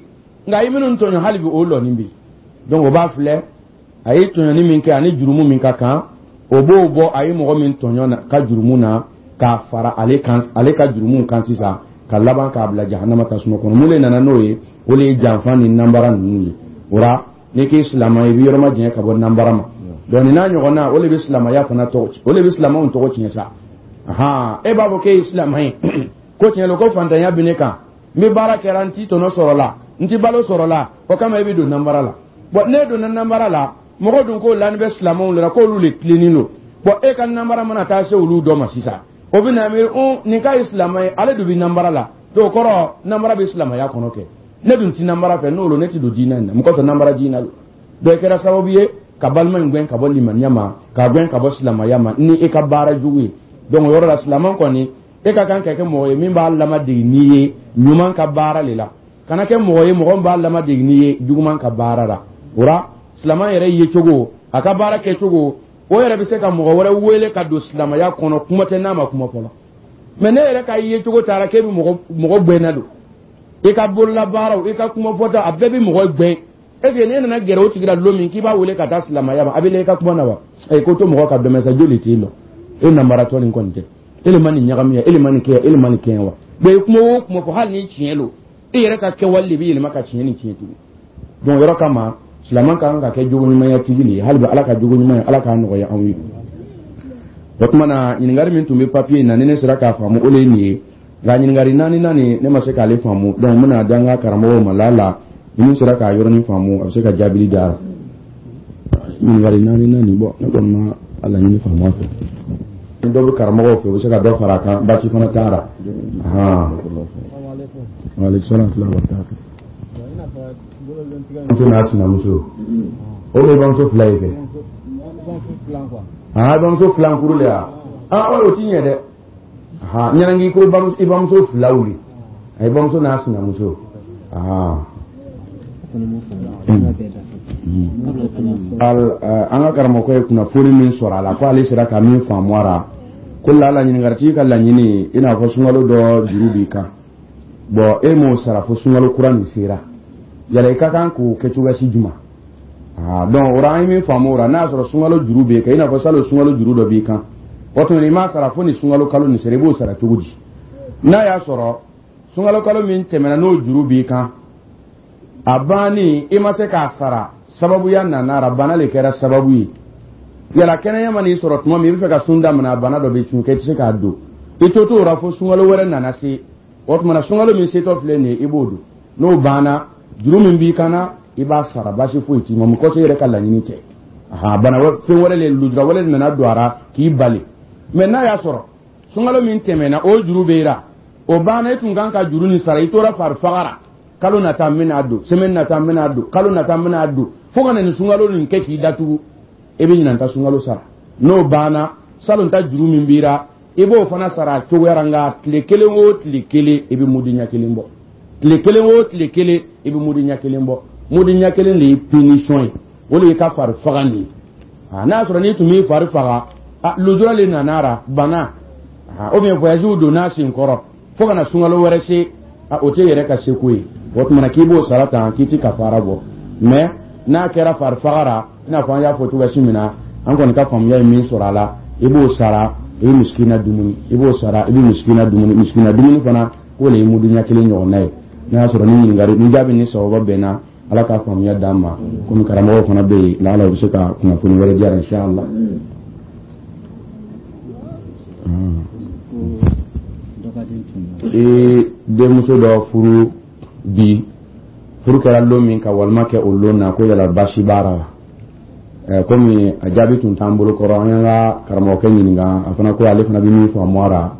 Nka i minnu tɔɲɔ, hali bi o lɔni bɛ yen. Donc o b'a filɛ, a ye tɔɲɔni min kɛ ani jurumu min ka kan, o b'o bɔ a ye mɔgɔ min tɔɲɔ ka jurumu na k'a fara ale kan, ale ka jurumu kan sisan, ka laban k'a bila jahanama tasuma kɔnɔ. Mun de nana n'o ye? O de ye janfa ni nanbara ninnu ye. O la, n'i k'i silamɛ ye, i bɛ yɔrɔ ma janya ka bɔ nanbara ma. Donc nin n'a ɲɔgɔnna, o de bɛ silamɛya fana tɔgɔ, o de bɛ silamɛw tɔgɔ tiɲɛ sa. Ahan, e b'a fɔ k'e ye silamɛ ye, ko tiɲɛ don ko fantanya bɛ ne kan, n bɛ baara kɛra, n ti tɔnɔ sɔrɔ la, n ti balo sɔrɔ la, o kama e bɛ don nanbara la. Bon, n'e donna nanbara la, mɔgɔ dun k'o lani bɛ silamɛw de la k'olu de tilennen don. Bon, e ka nanbara mana taa se olu dɔ ma sisan, o bɛ na miiri un nin k'a ye silamɛ ye, ale dun bɛ nanbara la. Donc o kɔrɔ, nanbara bɛ silamɛya kɔnɔ kɛ. Ne dun ti nanbara fɛ, n'o don ne ti don diinɛ in na. Mun kosɔn nanbara diinɛ don? Donc e kɛra sababu ye ka balima in gɛn ka bɔ limaniya ma, k'a gɛn ka bɔ silamɛya ma ni e ka baara jugu ye. Donc o yɔrɔ la, silamɛ kɔni, e ka kan ka kɛ mɔgɔ ye min b'a lamadegi n'i ye ɲuman ka baara le la, kana kɛ mɔgɔ ye mɔgɔ min b'a lamadegi n'i ye juguman ka baara la. O la, silamɛ yɛrɛ ye cogo, a ka baara kɛcogo, o yɛrɛ bɛ se ka mɔgɔ wɛrɛ wele ka don silamɛya kɔnɔ, kuma tɛ n'a ma kuma fɔlɔ. Mɛ ne yɛrɛ ka ye cogo taara k'e bɛ mɔgɔ gɛnna don, i ka bololabaaraw, i ka kuma fɔta, a bɛɛ bɛ mɔgɔ gɛn. Est ce que n'e nana gɛrɛ o tigi la don min k'i b'a wele ka taa silamɛya ma, a bɛ la i ka kuma na wa? Ɛ, ko to mɔgɔ ka dɔmɛ sa, joli t'i lɔ e nanbaratɔ nin kɔni tɛ, e le ma nin ɲagami ya, e le ma nin kɛ ya, e le ma nin kɛ ya wa? Mais i kuma o kuma fɔ, hali ni tiɲɛ don, e yɛrɛ ka kɛwale de bɛ yɛlɛma ka tiɲɛ ni tiɲɛ tugun. Donc yɔrɔ kama, silamɛ ka kan ka kɛ jogo ɲumanya tigi le ye. Hali bi Ala ka jogo ɲuman ye, Ala k'a nɔgɔya anw ye. O tuma na, ɲininkali min tun bɛ papiye in na, ni ne sera k'a faamu, o de ye nin ye. Nka ɲininkali naani naani, ne ma se k'ale faamu. Donc n bɛna di an ka karamɔgɔw ma la ni min sera k'a yɔrɔnin faamu, a bɛ se ka jaabili di a la. Ɲininkali naani naani, bɔn, ne kɔni ma a laɲini faamu a fɛ. Ni dɔ bɛ karamɔgɔw fɛ, u bɛ se ka dɔ fara a kan, baasi fana t'a la. Waaleykum salaam wa rahmatulah. Muso n'a sinamuso, o de ye bamuso fila ye kɛ. Aa, bamuso filan kuru le ya. Aa, o ti ɲɛ dɛ. Ha, ɲɛnangi ko i bamuso filaw le, i bamuso n'a sinamuso. Aa, an ka karamɔgɔ ye kunnafoni min sɔrɔ a la, ko ale sera ka min faamu a la, ko lala ɲininkalitigi ka laɲini, i n'a fɔ sunkalo dɔ juru b'i kan, bɔn, e m'o sara fo sunkalo kura nin sera, yala i ka kan k'o kɛ cogoya si juma? Aa, donc o la, an ye min faamu o la, n'a y'a sɔrɔ sunkalo juru b'e kan, i n'a fɔ salon sunkalo juru dɔ b'i kan, o tuma i m'a sara fo ni sunkalo kalo nin sera, i b'o sara cogo di? N'a y'a sɔrɔ sunkalo kalo min tɛmɛna, n'o juru b'i kan, a banni i ma se k'a sara, sababuya nana ra, bana le kɛra sababu ye, yala kɛnɛya ma n'i sɔrɔ tuma min i bɛ fɛ ka sun daminɛ, a bana dɔ bɛ cun kɛ, i tɛ se k'a don, i to t'o la fo sunkalo wɛrɛ nana se, o tuma na sunkalo min setɔ filɛ nin ye, i b'o don. N'o banna, juru min b'i kan na, i b'a sara, baasi foyi t'i ma. Mun kɔsɔn? I yɛrɛ ka laɲini tɛ, bana fɛn wɛrɛ le, lujura wɛrɛ de nana don a la k'i bali. Mɛ n'a y'a sɔrɔ sunkalo min tɛmɛna, o juru b'e la, o banna, i tun kan ka juru nin sara, i tora fari fagara, kalo nata n bɛna don, semaine nata n bɛna don, kalo nata n bɛna don, fo ka na nin sunkalo nin kɛ k'i datugu, e bɛ ɲinan ta sunkalo sara. N'o banna, salon ta juru min b'i la, i b'o fana sara a cogoya la. Nka tile kelen o tile kelen, i bɛ mudi ɲɛ kelen bɔ. Tile kelen o tile kelen, i bɛ mudi ɲɛ kelen bɔ. Mudi ɲɛ kelen de ye punition ye, o de y'i ka fari faga nin ye. N'a y'a sɔrɔ n'i tun b'i fari faga, lujura le nana ra, bana ou bien voyage donna sen kɔrɔ fo ka na sunkalo wɛrɛ se, o tɛ yɛrɛ ka seko ye. O tuma na k'i b'o sara tan, k'i ti kafara bɔ. Mais n'a kɛra farifaga ra, i n'a fɔ an y'a fɔ cogoya min na, an kɔni ka faamuya ye min sɔrɔ a la, i b'o sara, i bɛ misikina dumuni, i b'o sara, i bɛ misikina dumuni. Misikina dumuni fana, k'o le ye mudu ɲɛ kelen ɲɔgɔnna ye. N'a y'a sɔrɔ ni ɲininkali ni jaabi ni sababa bɛnna, Ala k'a faamuya d'an ma. Komi karamɔgɔw fana bɛ yen, laala u bɛ se ka kunnafoni wɛrɛ di yan, inshallah. I denmuso dɔ furu bi, furu kɛra lon min ka walima kɛ o lon na, ko yala baasi b'a la wa? Komi a jaabi tun t'an bolo kɔrɔ, an y'an ka karamɔgɔkɛ ɲininka, a fana ko ale fana bɛ min faamu a la,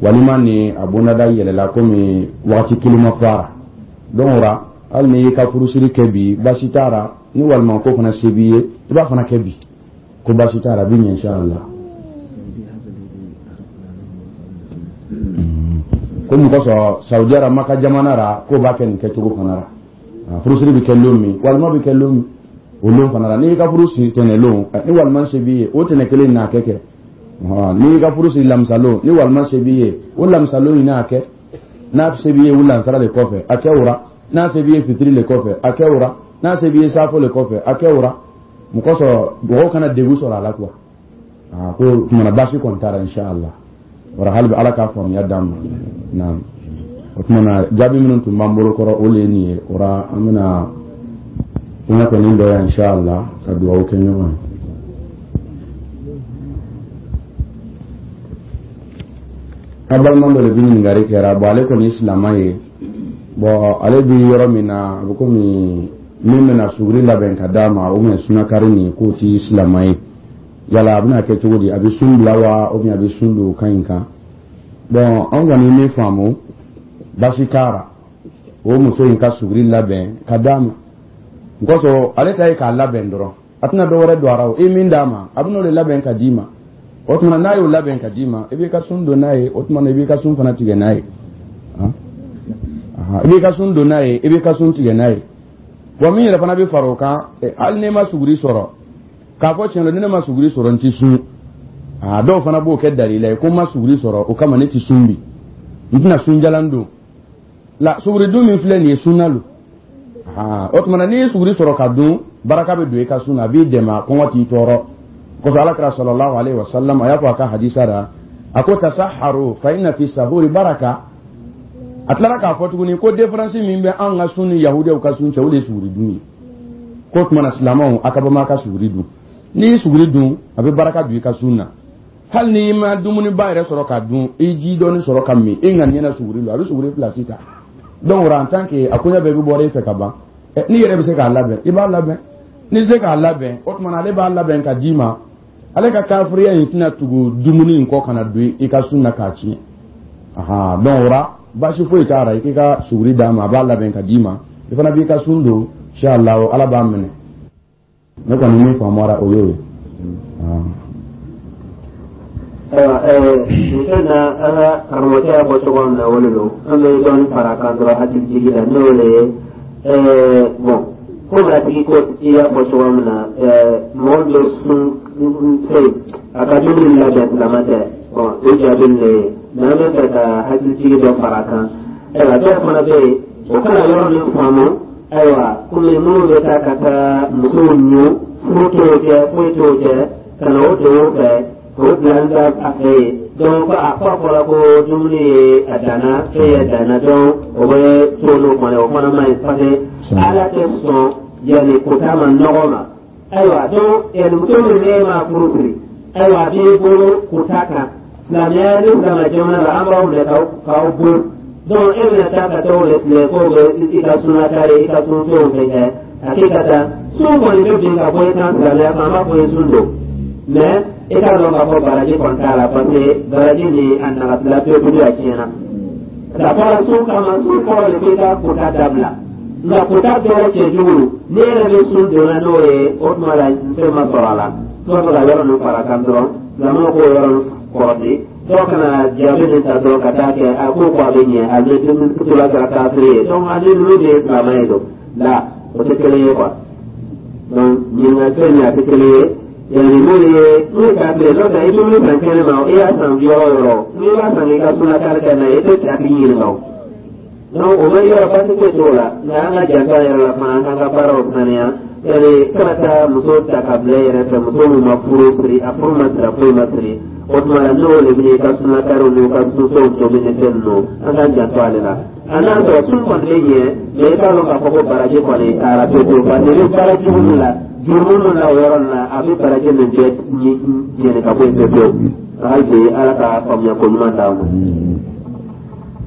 walima ni a bondada yɛlɛla, komi wagati kelen ma fɔ a la. Donc o la, hali n'i y'i ka furusiri kɛ bi, baasi t'a la. Ni walima ko fana se b'i ye, i b'a fana kɛ bi, ko baasi t'a la, a bɛ ɲɛ inshallah. Ko mun kosɔn Saudi ara Maka jamana ra, k'o b'a kɛ nin kɛcogo fana la, furusiri bɛ kɛ lon min, walima bɛ kɛ lon min, o lon fana la, n'i ka furu siri tɛnɛ lon, ni walima se b'i ye, o tɛnɛ kelen n'a kɛ. N'i ka furu siri lamisa lon, ni walima se b'i ye, o lamisa lon in n'a kɛ. N'a se b'i ye o lansara le kɔfɛ, a kɛ o ra. N'a se b'i ye fitiri le kɔfɛ, a kɛ o ra. N'a se b'i ye saafo le kɔfɛ, a kɛ o ra. Mun kosɔn mɔgɔw kana degun sɔrɔ a la quoi. Ko tumana baasi kɔni t'a la inshallah. Wara hali bi Ala k'a faamuya d'an ma. Naam, o tuma na jaabi minnu tun b'an bolo kɔrɔ, o le ye nin ye. O ra an bɛna kuma kɔni dɔ yan inshallah ka dugawu kɛ ɲɔgɔn ye. An balima dɔ de bɛ ɲininkali kɛra. Bon, ale kɔni ye silamɛ ye. Bon, ale bɛ yɔrɔ min na, a bɛ komi min bɛna suguri labɛn ka d'a ma, ou bien sunakari nin, k'o ti silamɛ ye. Yala a bɛna kɛ cogo di? A bɛ sun bila wa, ou bien a bɛ sun don o kan in kan? Bon, an kɔni min faamu, baasi t'a la o muso in ka suguri labɛn ka d'a ma. N kosɔn ale ta ye k'a labɛn dɔrɔn, a tɛna dɔ wɛrɛ don a la. O e min d'a ma, a bɛn'o de labɛn ka d'i ma. O tuma n'a y'o labɛn ka d'i ma, i b'i ka sun don n'a ye. O tuma i b'i ka sun fana tigɛ n'a ye. I b'i ka sun don n'a ye, i b'i ka sun tigɛ n'a ye. Wa min yɛrɛ fana bɛ fara o kan, hali n'i ma suguri sɔrɔ, k'a fɔ tiɲɛ don, ni ne ma suguri sɔrɔ, n ti sun. Dɔw fana b'o kɛ dalila ye ko n ma suguri sɔrɔ, o kama ne ti sun bi, n tɛna sunjalan don. La suguri dun min filɛ nin ye, sunna lo. O tuma na n'i ye suguri sɔrɔ ka dun, baraka bɛ don i ka sun na, a b'i dɛmɛ, kɔngɔ t'i tɔɔrɔ. Kosɔn Ala kira sallallahu alaihi wa sallam a y'a fɔ a ka hadisa la, a ko tasaharu fa inna fi sahuri baraka. A tilara k'a fɔ tuguni ko différence min bɛ an ka sun ni yahudiyaw ka sun cɛ, o de ye suguri dun ye. K'o tuma na silamɛw, a ka bama ka suguri dun. N'i ye suguri dun, a bɛ baraka don i ka sun na. Hali n'i ma dumuniba yɛrɛ sɔrɔ ka dun, i ji dɔɔni sɔrɔ ka min, i ŋaniya na suguri don, a bɛ suguri place ta. Donc en tant que a koɲɛ bɛɛ bɛ bɔra e fɛ ka ban, n'i yɛrɛ bɛ se k'a labɛn, i b'a labɛn. N'i se k'a labɛn, o tuma na ale b'a labɛn ka d'i ma. Ale ka kafiriya in tɛna tugu dumuni in kɔ ka na don i ka sun na k'a tiɲɛ. Donc o la baasi foyi t'a la, i k'i ka suguri d'a ma, a b'a labɛn ka d'i ma, i fana b'i ka sun don, inshallah Ala b'a minɛ. Ne kɔni min faamuyara, o y'o ye. Ayiwa, nin fɛn na, an ka karamɔgɔkɛ y'a fɔ cogo min na, o de don. An bɛ dɔɔnin fara a kan dɔrɔn hakili jigi la, n'o de ye bon, komi a tigi ko i y'a fɔ cogo min na, mɔgɔ bɛ sun fɛn a ka dumuni labɛn silamɛ tɛ. Bon, o jaabi de ye, mais an bɛ fɛ ka hakili jigi dɔ fara a kan. Ayiwa, dɔw fana bɛ yen, o kana yɔrɔ min faamu. Ayiwa, komi minnu bɛ taa ka taa musow ɲu, furu t'o cɛ, foyi t'o cɛ, ka na o don o fɛ k'o bila n da a fɛ yen. Donc ko a fɔ fɔra ko dumuni ye a danna, e ye danna, donc o bɛ to n'o fana, o fana man ɲi, parce que Ala tɛ sɔn yanni kota ma nɔgɔ ma. Ayiwa, donc yanni muso min n'e ma furu siri, ayiwa, a b'i bolo kota kan. Silamɛya ni silamɛ jamana la, an b'aw minɛ k'aw bon. Donc e bɛna taa ka taa o de filɛ k'o bɛ i ka suna kari, i ka sun fɛnw fɛn kɛ a k'i ka taa sun kɔni bɛ bin ka bɔ i kan silamɛya kan, an b'a fɔ i ye sun don, mais i k'a dɔn k'a fɔ baraji kɔni t'a la, parce que baraji ni a nagasila pewu pewu, a tiɲɛna. Ka fɔra sun kama, sun kɔrɔ de k'i ka kota dabila, nka kota bɛɛ cɛjugu, n'i yɛrɛ bɛ sun donna n'o ye, o tuma la fɛn ma sɔrɔ a la. N'o bɛ ka yɔrɔ ninnu fara kan dɔrɔn, silamɛw k'o yɔrɔ ninnu kɔrɔsi. Dɔw kana jaabi nin ta dɔrɔn ka taa kɛ a ko a bɛ ɲɛ, a bɛ dumuni la kɛra kafiri ye. Donc ani ninnu de ye silamɛ ye don la, o tɛ kelen ye quoi. Donc ɲininkali fɛn nin, a tɛ kelen ye. Yani n'o ye n'o ye kafiri ye, n'o tɛ i dumuni san kɛnɛ ma, i y'a san yɔrɔ o yɔrɔ, n'i b'a san k'i ka suna kari kɛ n'a ye, i tɛ a tigi ɲininka o. Donc o bɛ yɔrɔ baasi foyi t'o la, nka an ka janto an yɛrɛ la fana, an k'an ka baaraw saniya. Yani kana taa muso ta ka bila i yɛrɛ fɛ, muso min ma furu siri, a furu ma siri, a foyi ma siri. O tuma la n'o de bɛ i ka sunakariw n'i ka sunfɛnw tobi ni fɛn ninnu, an k'an janto ale la. A n'a sɔrɔ sun kɔni bɛ ɲɛ, mɛ i t'a dɔn k'a fɔ ko baraji kɔni taara pewu pewu, parce que i bɛ baara jugu min la, jurumu min la o yɔrɔ nin na, a bɛ baraji nin bɛɛ jɛni ka bɔ yen pewu pewu. Hali bi Ala ka faamuya ko ɲuman d'an ma.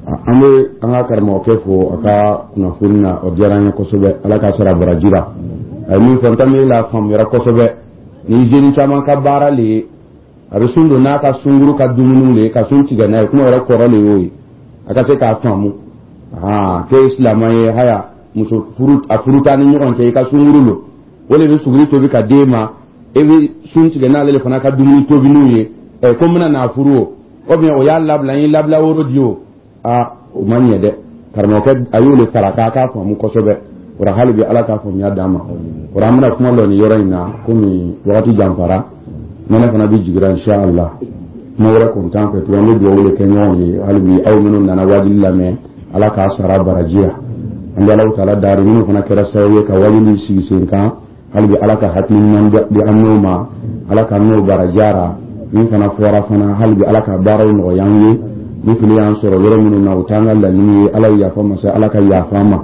An bɛ an ka karamɔgɔkɛ fo a ka kunnafoni na, o diyara an ye kosɛbɛ. Ala ka sara baraji la. A ye min fɔ, n ta la faamuyara kosɛbɛ. Ni jeune caman ka baara le ye, a bɛ sun don n'a ka sunkuru ka dumuniw le ye, ka sun tigɛ n'a ye. Kuma yɛrɛ kɔrɔ le y'o ye, a ka se k'a faamu aa k'e ye silamɛ ye. Haya, muso furu a furu t'a ni ɲɔgɔn cɛ, i ka sunkuru lo, o de bɛ suguri tobi ka d'e ma, e bɛ sun tigɛ n'ale de fana ka dumuni tobiniw ye. Ɛ, ko n bɛna n'a furu o, ou bien o y'a labila, n ye labila woro di o, aa, o ma ɲɛ dɛ. Karamɔgɔkɛ a y'o de fara k'a k'a faamu kosɛbɛ. O la hali bi Ala k'a faamuya d'an ma. O la an bɛna kuma lɔ nin yɔrɔ in na, komi wagati janfara, nɛnɛ fana bɛ jigira. Inshallah, kuma wɛrɛ kun t'an fɛ tugun. An bɛ dugawu de kɛ ɲɔgɔn ye. Hali bi aw minnu nana wajuli lamɛn, Ala k'a sara baraji la. An bɛ Alahu taala dari minnu fana kɛra sababu ye ka wajuli sigi sen kan, hali bi Ala ka hakili ɲuman di an n'o ma, Ala ka n'o barajara. Min fana fɔra fana, hali bi Ala ka baaraw nɔgɔya an ye. Ni fili y'an sɔrɔ yɔrɔ minnu na, o t'an ka laɲini ye. Ala ye yafa masa, Ala ka yafa an ma.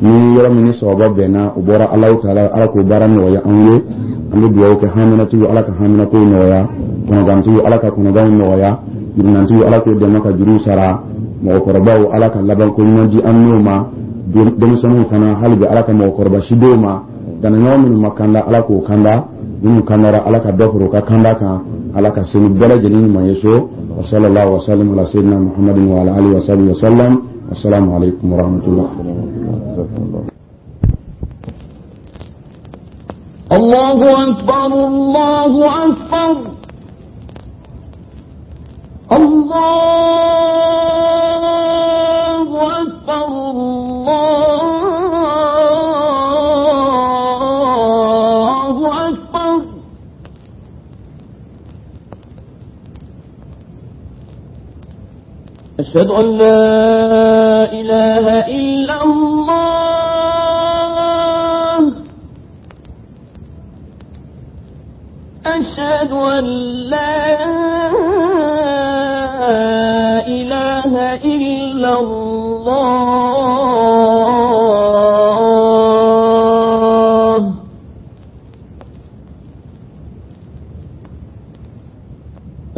Ni yɔrɔ min ni sababa bɛnna, o bɔra Alahu taala, Ala k'o baara nɔgɔya an ye. An bɛ dugawu kɛ haminatigiw, Ala ka haminakow nɔgɔya. Kɔnɔgantigiw, Ala ka kɔnɔganw nɔgɔya. Jurunantigiw, Ala k'o dɛmɛ ka juruw sara. Mɔgɔkɔrɔbaw, Ala ka labanko ɲuman di an n'o ma. Denmisɛnninw fana, hali bi Ala ka mɔgɔkɔrɔba si d'o ma. Danaɲɔgɔn minnu ma kanda, Ala k'o kanda. Minnu kandara, Ala ka dɔ fara u ka kanda kan. Ala ka seli bɛɛ lajɛlen ɲuman ye so. Wa sallallahu wa sallam ala sayyidina Muhammadin wa ala alihi wa sahbihi wa sallam. Assalamu alaikum wa rahmatullah. الله أكبر، الله أكبر، الله أكبر، الله أكبر. أشهد أن لا إله إلا الله، أشهد أن لا إله إلا الله،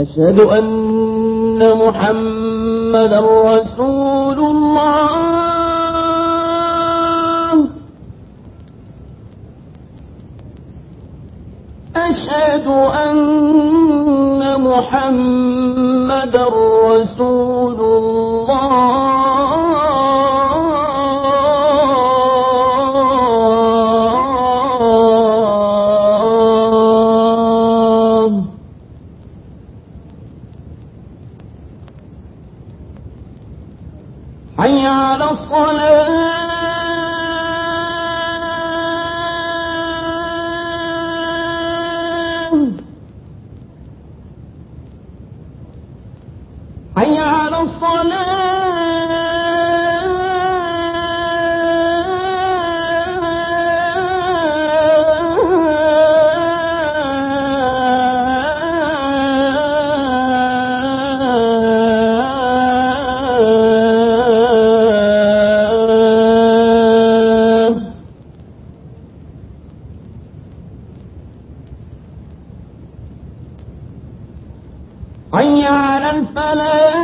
أشهد أن محمدا رسول الله، أشهد أن محمدا رسول الله. حي على الصلاة، حي على الصلاة. حي على الفلاح.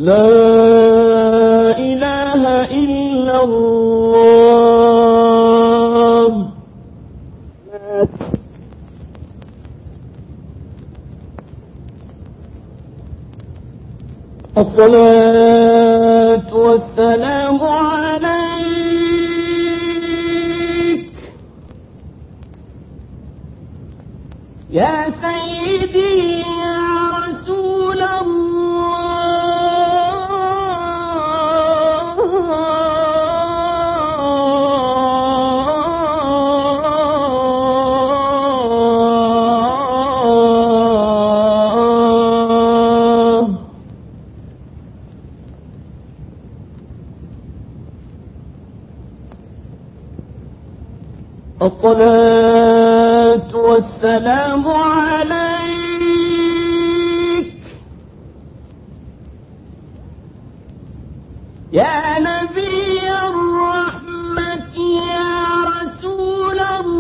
لا إله إلا الله. الصلاة والسلام عليك يا سيدي يا رسول الله. الصلاة والسلام عليك يا نبي الرحمة يا رسول الله.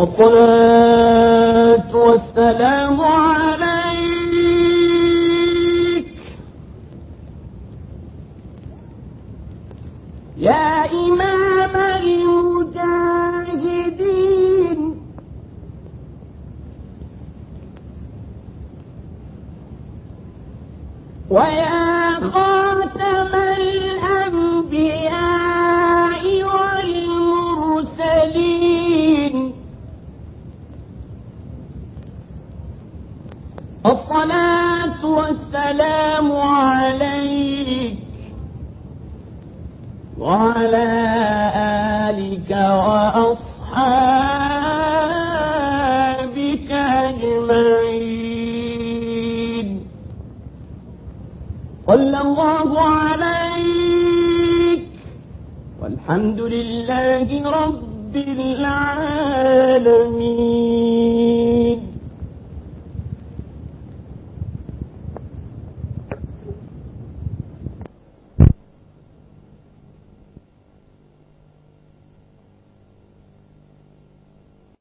الصلاة والسلام عليك يا إمام المجاهدين ويا خاتم الأنبياء والمرسلين. الصلاة والسلام عليك وعلى آلك وأصحابك أجمعين. صلى الله عليك والحمد لله رب العالمين.